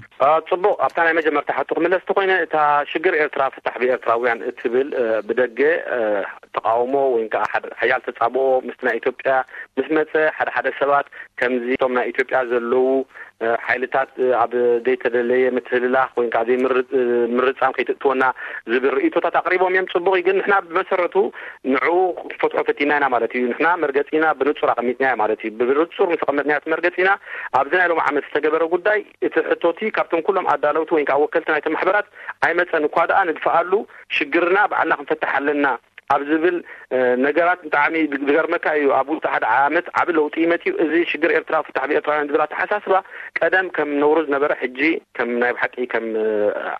ጽቡቕ፣ ኣብታ ናይ መጀመርታ ሕቶ ክምለስ ተኮይነ፣ እታ ሽግር ኤርትራ ፍታሕ ብኤርትራውያን እትብል ብደገ ተቃውሞ ወይ ከዓ ሓያል ተጻብኦ ምስቲ ናይ ኢትዮጵያ ምስ መጸ፣ ሓደ ሓደ ሰባት ከምዚ እቶም ናይ ኢትዮጵያ ዘለዉ ሓይልታት ኣብ ዘይተደለየ ምትህልላኽ ወይ ከዓ ዘይምርጻም ከይትእትወና ዝብል ርእይቶታት ኣቕሪቦም እዮም። ጽቡቕ እዩ፣ ግን ንሕና ብመሰረቱ ንዕኡ ክትፈትሖ ፈቲና ኢና ማለት እዩ። ንሕና መርገጺና ብንጹር ኣቐሚጥናዮ ማለት እዩ። ብንጹር ምስ ኣቐመጥናዮ እቲ መርገጺና ኣብዚ ናይ ሎም ዓመት ዝተገበረ ጉዳይ እቲ ሕቶቲ ካብቶም ኩሎም ኣዳለውቲ ወይ ከዓ ወከልቲ ናይቲ ማሕበራት ኣይመጸን እኳ ደኣ ንድፍኣሉ ሽግርና ባዕልና ክንፈትሕ ኣለና ኣብ ዝብል ነገራት ብጣዕሚ ዝገርመካ እዩ። ኣብ ውሽጢ ሓደ ዓመት ዓቢ ለውጢ እዩ መጺኡ። እዚ ሽግር ኤርትራ ፍታሕ ብኤርትራውያን ዝብል ኣተሓሳስባ ቀደም ከም ነውሩ ዝነበረ ሕጂ ከም ናይ ብሓቂ ከም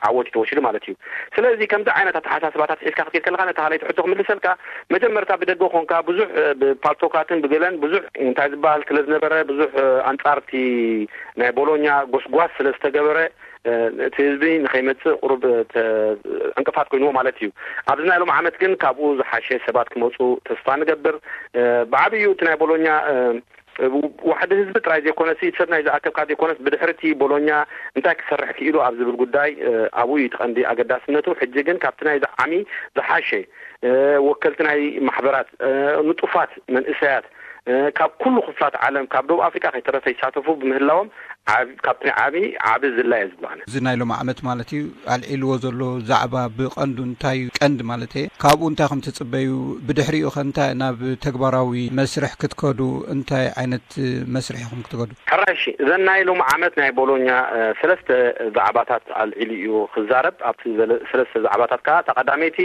ዓወት እዩ ተወሲዱ ማለት እዩ። ስለዚ ከምዚ ዓይነት ኣተሓሳስባታት ሒዝካ ክትከድ ከለካ ነታ ካልኣይቲ ሕቶ ክምልሰልካ፣ መጀመርታ ብደገ ኮንካ ብዙሕ ብፓልቶካትን ብገለን ብዙሕ እንታይ ዝበሃል ስለ ዝነበረ ብዙሕ ኣንጻርቲ ናይ ቦሎኛ ጎስጓስ ስለ ዝተገበረ እቲ ህዝቢ ንኸይመጽእ ቁሩብ ዕንቅፋት ኮይንዎ ማለት እዩ። ኣብዚ ናይ ሎም ዓመት ግን ካብኡ ዝሓሸ ሰባት ክመፁ ተስፋ ንገብር። ብዓብዩ እቲ ናይ ቦሎኛ ዋሕዲ ህዝቢ ጥራይ ዘይኮነሲ ሰብ ናይ ዝኣከብካ ዘይኮነስ ብድሕሪ እቲ ቦሎኛ እንታይ ክሰርሕ ክኢሉ ኣብ ዝብል ጉዳይ ኣብኡ እዩ እቲ ቀንዲ ኣገዳስነቱ። ሕጂ ግን ካብቲ ናይ ዝዓሚ ዝሓሸ ወከልቲ ናይ ማሕበራት ንጡፋት መንእሰያት ካብ ኩሉ ክፍላት ዓለም ካብ ደቡብ ኣፍሪቃ ከይተረፈ ይሳተፉ ብምህላዎም ካብቲ ዓቢ ዓቢ ዝላ እየ ዝብሎ ኣነ። እዚ ናይ ሎም ዓመት ማለት እዩ ኣልዒልዎ ዘሎ ዛዕባ ብቐንዱ እንታይ እዩ ቀንዲ ማለት እየ ካብኡ እንታይ ከም ትጽበዩ ብድሕሪኡ ከ እንታይ ናብ ተግባራዊ መስርሕ ክትከዱ እንታይ ዓይነት መስርሕ ኢኹም ክትከዱ? ሕራይ እሺ እዘን ናይ ሎም ዓመት ናይ ቦሎኛ ሰለስተ ዛዕባታት ኣልዒሉ እዩ ክዛረብ። ኣብቲ ሰለስተ ዛዕባታት ከዓ እታ ቀዳመይቲ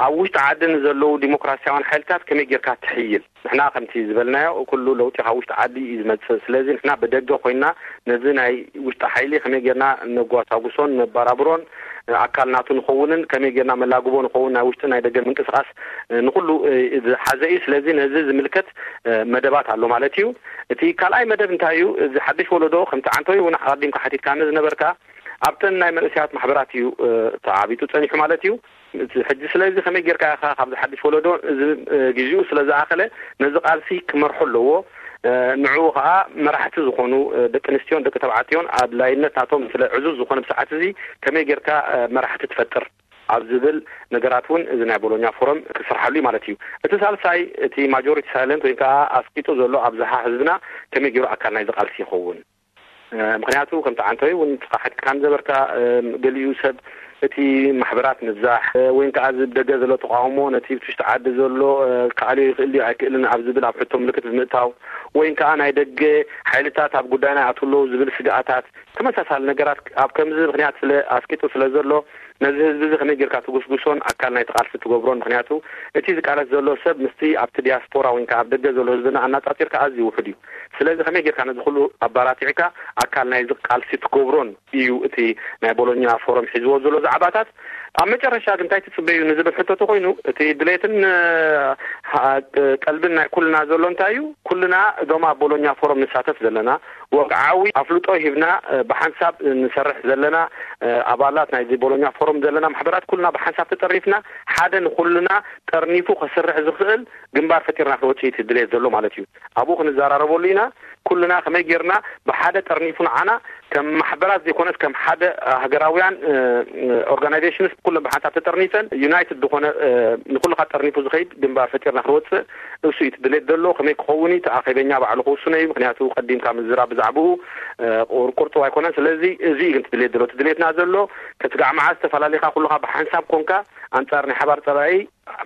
ኣብ ውሽጢ ዓዲ ንዘለዉ ዲሞክራሲያውያን ሓይልታት ከመይ ጌርካ ትሕይል ንሕና ከምቲ ዝበልናዮ ኩሉ ለውጢ ካብ ውሽጢ ዓዲ እዩ ዝመፅእ። ስለዚ ንሕና ብደገ ኮይና ነዚ ናይ ውሽጢ ሓይሊ ከመይ ጌርና ነጓሳጉሶን ነባራብሮን ኣካል ናቱ ንኸውንን ከመይ ጌርና መላግቦ ንኸውን ናይ ውሽጢ ናይ ደገ ምንቅስቃስ ንኩሉ ዝሓዘ እዩ። ስለዚ ነዚ ዝምልከት መደባት ኣሎ ማለት እዩ። እቲ ካልኣይ መደብ እንታይ እዩ? እዚ ሓድሽ ወለዶ ከምቲ ዓንቶይ እውን ኣቀዲምካ ሓቲትካኒ ዝነበርካ ኣብተን ናይ መንእሰያት ማሕበራት እዩ ተዓቢጡ ፀኒሑ ማለት እዩ። ሕጂ ስለዚ ከመይ ጌርካ ኢኻ ካብዚ ሓድሽ ወለዶ እዚ ግዜኡ ስለ ዝኣኸለ ነዚ ቃልሲ ክመርሖ ኣለዎ። ንዕኡ ከዓ መራሕቲ ዝኾኑ ደቂ ኣንስትዮን ደቂ ተባዕትዮን ኣድላይነት ናቶም ስለ ዕዙዝ ዝኾነ ብሰዓት እዚ ከመይ ጌርካ መራሕቲ ትፈጥር ኣብ ዝብል ነገራት እውን እዚ ናይ ቦሎኛ ፎረም ክስርሓሉ እዩ ማለት እዩ። እቲ ሳልሳይ እቲ ማጆሪቲ ሳይለንት ወይ ከዓ ኣስቂጡ ዘሎ ኣብዝሓ ህዝብና ከመይ ገይሩ ኣካል ናይዚ ቃልሲ ይኸውን? ምክንያቱ ከምቲ ዓንተወይ እውን ንስኻ ሓቲትካ ንዘበርካ ገሊኡ ሰብ እቲ ማሕበራት ምብዛሕ ወይ ከዓ እዚ ብደገ ዘሎ ተቃውሞ ነቲ ብትሽቲ ዓዲ ዘሎ ክኣልዮ ይኽእል ድዩ ኣይክእልን ኣብ ዝብል ኣብ ሕቶ ምልክት ብምእታው ወይ ከዓ ናይ ደገ ሓይልታት ኣብ ጉዳይና ይኣትዉ ኣለዉ ዝብል ስግኣታት ተመሳሳሊ ነገራት ኣብ ከምዚ ምክንያት ስለ ኣስቂጡ ስለ ዘሎ ነዚ ህዝቢ እዚ ከመይ ጌርካ ትጉስጉሶን ኣካል ናይቲ ቃልሲ ትገብሮን ምክንያቱ እቲ ዝቃለስ ዘሎ ሰብ ምስቲ ኣብቲ ዲያስፖራ ወይ ከዓ ኣብ ደገ ዘሎ ህዝብና ኣናፃፂርካ ኣዝዩ ውሑድ እዩ። ስለዚ ከመይ ጌርካ ነዚ ኩሉ ኣባራቲዕካ ኣካል ናይዚ ቃልሲ ትገብሮን እዩ እቲ ናይ ቦሎኛ ፎረም ሒዝዎ ዘሎ ዛዕባታት። ኣብ መጨረሻ ግን እንታይ ትጽበዩ ንዝብል ሕቶ ተኾይኑ፣ እቲ ድሌትን፣ እ፣ ሃ-፣ ቀልብን ናይ ኩልና ዘሎ እንታይ እዩ? ኩልና እዞም ኣብ ቦሎኛ ፎረም ንሳተፍ ዘለና፣ ወግዓዊ ኣፍልጦ ሂብና፣ እ፣ ብሓንሳብ ንሰርሕ ዘለና፣ እ፣ ኣባላት ናይዚ ቦሎኛ ፎረም ዘለና ማሕበራት ኩልና ብሓንሳብ ተጠሪፍና፣ ሓደ ንኩልና ጠርኒፉ ከስርሕ ዝኽእል ግንባር ፈጢርና ክንወጽእ እቲ ድሌት ዘሎ ማለት እዩ። ኣብኡ ክንዘራረበሉ ኢና። ኩልና ከመይ ጌርና ብሓደ ጠርኒፉ ንዓና ከም ማሕበራት ዘይኮነስ ከም ሓደ ሃገራውያን፣ እ፣ እ፣ ኦርጋናይዜሽንስ ኩለን ብሓንሳብ ተጠርኒፈን ዩናይትድ ዝኾነ፣ እ፣ ንኩልኻ ጠርኒፉ ዝኸይድ ግንባር ፈጢርና ክንወጽእ እሱ እዩ እቲ ድሌት ዘሎ። ከመይ ክኸውን እዩ እቲ ኣኼበኛ ባዕሉ ክውስኖ እዩ። ምክንያቱ ቀዲምካ ምዝራብ ብዛዕባኡ፣ እ፣ ቁር-፣ ቁርጡው ኣይኮነን። ስለዚ እዚ እዩ ግን እቲ ድሌት ዘሎ። እቲ ድሌትና ዘሎ ከስጋዕ መዓስ ተፈላለኻ ኩልኻ ብሓንሳብ ኮንካ ኣንጻር ናይ ሓባር ጸላኢ፣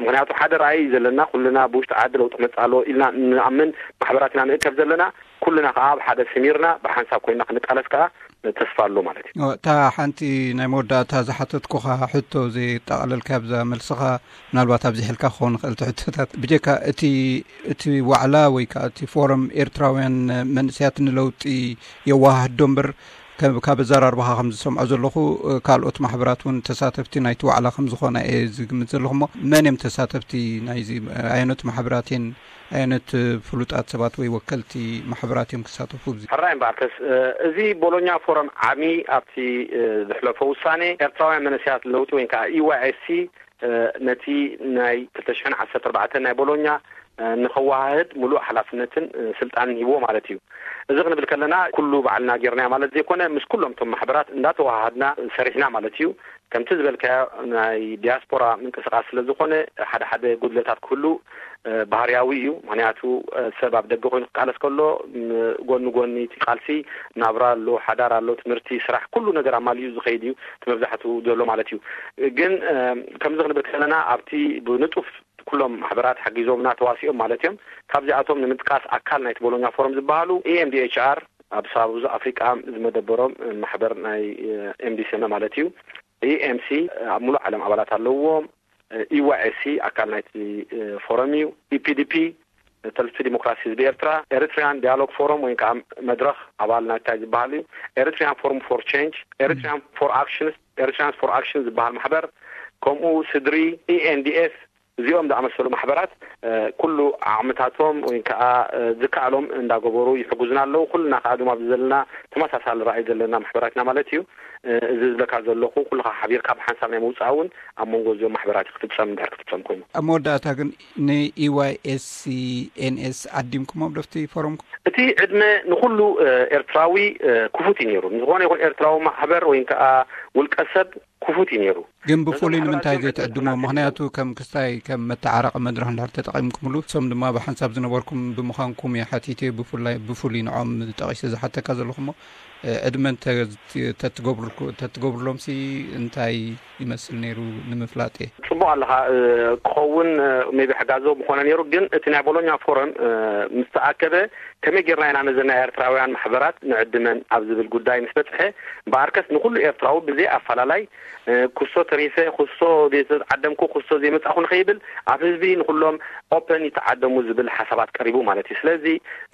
ምክንያቱ ሓደ ራእይ እዩ ዘለና። ኩልና ብውሽጢ ዓዲ ለውጢ መጽእ ኣሎ ኢልና ንኣምን ማሕበራት ኢና ንእከብ ዘለና። ኩልና ከኣ ኣብ ሓደ ስሚርና ብሓንሳብ ኮይና ክንቃለስ ከኣ ተስፋ ኣሎ ማለት እዩ። ኦ፣ እታ ሓንቲ ናይ መወዳእታ ዝሓተትኩኻ ሕቶ፣ ዘየጠቓለልካ ኣብዛ መልስኻ፣ ምናልባት ኣብዚሕልካ ክኸውን ይኽእል እቲ ሕቶታት። ብጀካ እቲ፣ እቲ ዋዕላ ወይ ከኣ እቲ ፎረም ኤርትራውያን መንእሰያት ንለውጢ የወሃህዶ እምበር፣ ከ-፣ ካብ ኣዘራርባኻ ከም ዝሰምዖ ዘለኹ፣ እ፣ ካልኦት ማሕበራት እውን ተሳተፍቲ ናይቲ ዋዕላ ከም ዝኾና እየ ዝግምት ዘለኹ። እሞ መን እዮም ተሳተፍቲ ናይዚ? ኣየኖት ማሕበራት እየን? ኣየኖት ፍሉጣት ሰባት ወይ ወከልቲ ማሕበራት እዮም ክሳተፉ? ሕራይ እምበኣርከስ፣ እ፣ እዚ ቦሎኛ ፎረም ዓሚ ኣብቲ፣ እ፣ ዝሕለፎ ውሳኔ ኤርትራውያን መንእሰያት ለውጢ ወይ ከዓ ኢ ዋይ ኤስ ሲ፣ እ፣ ነቲ ናይ ክልተ ሽሕን ዓሰርተ ኣርባዕተን ናይ ቦሎኛ፣ እ፣ ንኸወሃህድ ሙሉእ ሓላፍነትን፣ እ፣ ስልጣንን ሂብዎ ማለት እዩ። እዚ ክንብል ከለና ኩሉ ባዕልና ጌርናዮ ማለት ዘይኮነ፣ ምስ ኩሎም እቶም ማሕበራት እንዳተወሃሃድና ሰሪሕና ማለት እዩ። ከምቲ ዝበልካዮ ናይ ዲያስፖራ ምንቅስቃስ ስለ ዝኾነ ሓደ ሓደ ጉድለታት ክህሉ፣ እ፣ ባህርያዊ እዩ። ምክንያቱ፣ እ፣ ሰብ ኣብ ደገ ኮይኑ ክቃለስ ከሎ፣ ም-፣ ጎኒ ጎኒ እቲ ቃልሲ ናብራ ኣሎ፣ ሓዳር ኣሎ፣ ትምህርቲ፣ ስራሕ፣ ኩሉ ነገር ኣማሊኡ ዝኸይድ እዩ እቲ መብዛሕትኡ ዘሎ ማለት እዩ። ግን፣ እ፣ ከምዚ ክንብል ከለና ኣብቲ ብንጡፍ ኩሎም ማሕበራት ሓጊዞምና ተዋሲኦም ማለት እዮም። ካብዚኣቶም ንምጥቃስ ኣካል ናይቲ ቦሎኛ ፎረም ዝበሃሉ ኢ ኤም ዲ ኤች ኣር ኣብ ሳውዝ ኣፍሪቃ ዝመደበሮም ማሕበር ናይ፣ እ፣ ኤም ዲ ሲ ኤም ማለት እዩ። ኢ ኤም ሲ ኣብ ሙሉእ ዓለም ኣባላት ኣለውዎም። ኢ ዋይ ኤስ ሲ ኣካል ናይቲ፣ እ፣ ፎረም እዩ። ኢ ፒ ዲ ፒ፣ ሰልፊ ዲሞክራሲ ህዝቢ ኤርትራ፣ ኤሪትሪያን ዲያሎግ ፎረም ወይ ከዓ መድረኽ ኣባል ናይታይ ዝበሃል እዩ። ኤሪትሪያን ፎረም ፎር ቼንጅ፣ ኤሪትሪያን ፎር ኣክሽንስ፣ ኤሪትሪያንስ ፎር ኣክሽን ዝበሃል ማሕበር፣ ከምኡ ስድሪ፣ ኢ ኤን ዲ ኤፍ፣ እዚኦም ዝኣመሰሉ ማሕበራት፣ እ፣ ኩሉ ዓቕምታቶም ወይ ከዓ፣ እ፣ ዝከኣሎም እንዳገበሩ ይሕጉዝና ኣለዉ። ኩልና ከዓ ድማ ኣብዚ ዘለና ተመሳሳሊ ራእይ ዘለና ማሕበራት ኢና ማለት እዩ። እ፣ እዚ ዝብለካ ዘለኹ ኩልኻ ሓቢርካ ብሓንሳብ ናይ ምውፃእ እውን ኣብ መንጎ እዚኦም ማሕበራት እዩ ክፍፀም፣ እንድሕር ክፍፀም ኮይኑ። ኣብ መወዳእታ ግን ን ኢ ዋይ ኤስ ሲ ኤን ኤስ ዓዲምኩሞም ዶ ኣብቲ ፎረምኩም? እቲ ዕድመ ንኹሉ፣ እ፣ ኤርትራዊ፣ እ፣ ክፉት እዩ ነይሩ። ንዝኾነ ይኹን ኤርትራዊ ማሕበር ወይ ከዓ ውልቀ ሰብ ክፉት እዩ ነይሩ። ግን ብፍሉይ ንምንታይ ዘይትዕድሞ? ምክንያቱ ከም ክስታይ ከም መተዓረቂ መድረኽ እንድሕር ተጠቒምኩምሉ፣ እሶም ድማ ብሓንሳብ ዝነበርኩም ብምዃንኩም እየ ሓቲተ። ብፍላይ፣ ብፍሉይ ንዖም ጠቒሰ ዝሓተካ ዘለኹ እሞ፣ እ፣ ዕድመ እንተ-፣ ተትገብርልኩ-፣ ተትገብርሎምሲ እንታይ ይመስል ነይሩ ንምፍላጥ እየ። ጽቡቕ ኣለኻ፣ እ፣ ክኸውን፣ እ፣ ሜቢ ሕጋዞ ምኾነ ነይሩ። ግን እቲ ናይ ቦሎኛ ፎረም፣ እ፣ ምስ ተኣከበ ከመይ ጌርና ኢና ነዘን ናይ ኤርትራውያን ማሕበራት ንዕድመን ኣብ ዝብል ጉዳይ ምስ በጽሐ፣ እምበኣርከስ ንኹሉ ኤርትራዊ ብዘይ ኣፈላላይ፣ እ፣ ክሶ ተሪፈ፣ ክሶ ዘይተዓደምኩ፣ ክሶ ዘይመጻኹ ንኸይብል ኣብ ህዝቢ ንኹሎም ኦፐን ይተዓደሙ ዝብል ሓሳባት ቀሪቡ ማለት እዩ። ስለዚ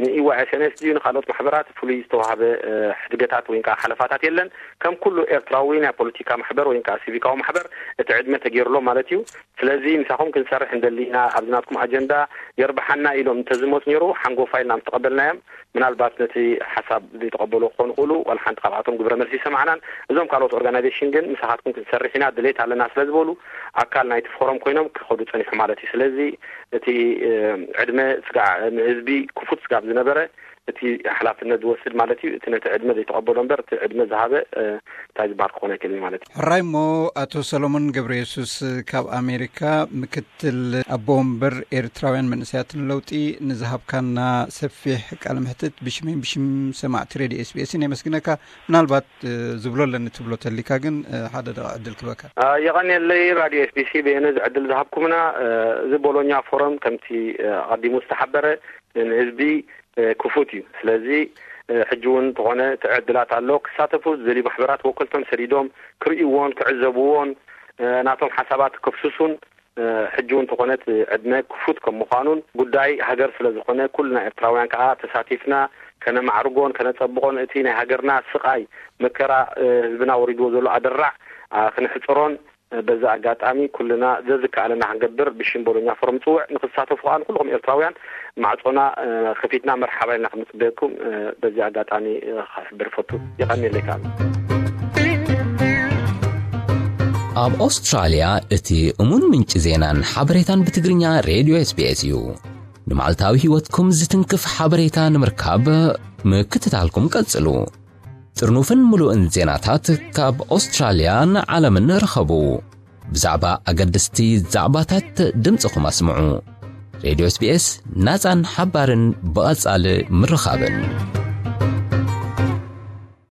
ን ኢ ዋይ ኤስ ኤን ኤስ ድዩ ንኻልኦት ማሕበራት ፍሉይ ዝተዋህበ፣ እ፣ ሕድገታት ወይ ከዓ ሓለፋታት የለን። ከም ኩሉ ኤርትራዊ ናይ ፖለቲካ ማሕበር ወይ ከዓ ሲቪካዊ ማሕበር እቲ ዕድመ ተገይሩሎም ማለት እዩ። ስለዚ ምሳኹም ክንሰርሕ እንደሊ ኢና፣ ኣብዚ ናትኩም ኣጀንዳ የርብሓና ኢሎም እንተዝመፁ ነይሩ ሓንጎፋይ ኢልና ምስ ተቐበልናዮም፣ ምናልባት ነቲ ሓሳብ ዘይተቐበሉ ክኾኑ ይኽእሉ፣ ዋላ ሓንቲ ካብኣቶም ግብረ መልሲ ይሰማዕናን። እዞም ካልኦት ኦርጋናይዜሽን ግን ምሳኻትኩም ክንሰርሕ ኢና፣ ድሌት ኣለና ስለ ዝበሉ ኣካል ናይቲ ፎረም ኮይኖም ክኸዱ ጸኒሑ ማለት እዩ። ስለዚ እቲ፣ እ፣ ዕድመ ስጋዕ ንህዝቢ ክፉት ስጋብ ዝነበረ እቲ ሓላፍነት ዝወስድ ማለት እዩ። እቲ ነቲ ዕድመ ዘይተቐበሎ እምበር እቲ ዕድመ ዝሃበ፣ እ፣ እንታይ ዝበሃል ክኾን ኣይክእልን ማለት እዩ። ሕራይ እሞ ኣቶ ሰሎሞን ገብረ የሱስ ካብ ኣሜሪካ ምክትል ኣቦ ወንበር ኤርትራውያን መንእሰያትን ለውጢ ንዝሃብካና ሰፊሕ ቃለ መሕትት ብሽመይን ብሽም ሰማዕቲ ሬድዮ ኤስ ቢ ኤስን የመስግነካ። ምናልባት፣ እ፣ ዝብሎ ኣለኒ ትብሎ ተሊካ ግን፣ እ፣ ሓደ ደቂቕ ዕድል ክበካ። አ፣ የቐንየለይ ራድዮ ኤስ ቢ ሲ በየነ እዚ ዕድል ዝሃብኩምና። እ፣ እዚ ቦሎኛ ፎረም ከምቲ፣ እ፣ ኣቐዲሙ ዝተሓበረ ንህዝቢ፣ እ፣ ክፉት እዩ። ስለዚ፣ እ፣ ሕጂ እውን እንተኾነ እቲ ዕድላት ኣሎ። ክሳተፉ ዝደልዩ ማሕበራት ወከልቶም ሰዲዶም ክርእይዎን ክዕዘብዎን፣ እ፣ ናቶም ሓሳባት ከፍስሱን፣ እ፣ ሕጂ እውን እንተኾነ እቲ ዕድመ ክፉት ከም ምዃኑን ጉዳይ ሃገር ስለ ዝኾነ ኩልና ኤርትራውያን ከኣ ተሳቲፍና ከነማዕርጎን ከነጸብቖን እቲ ናይ ሃገርና ስቓይ መከራ፣ እ፣ ህዝብና ወሪድዎ ዘሎ ኣደራዕ፣ አ፣ ክንሕጽሮን በዚ ኣጋጣሚ ኩልና ዘዝከኣለና ክንገብር ብሽም ቦሎኛ ፎረም ጽውዕ ንክትሳተፉ ከኣ ንኩልኹም ኤርትራውያን ማዕጾና ከፊትና መርሓባ ኢልና ክንጽበየኩም በዚ ኣጋጣሚ ክሕብር ፈቱ። የቐንየለይ ከኣ። ኣብ ኦስትራልያ እቲ እሙን ምንጪ ዜናን ሓበሬታን ብትግርኛ ሬድዮ SBS እዩ። ንመዓልታዊ ህይወትኩም ዝትንክፍ ሓበሬታ ንምርካብ ምክትታልኩም ቀጽሉ። ጥርኑፍን ምሉእን ዜናታት ካብ ኦስትራልያን ዓለምን ርኸቡ። ብዛዕባ ኣገደስቲ ዛዕባታት ድምፅኹም ኣስምዑ። ሬድዮ SBS ናፃን ሓባርን ብቐጻሊ ምርኻብን።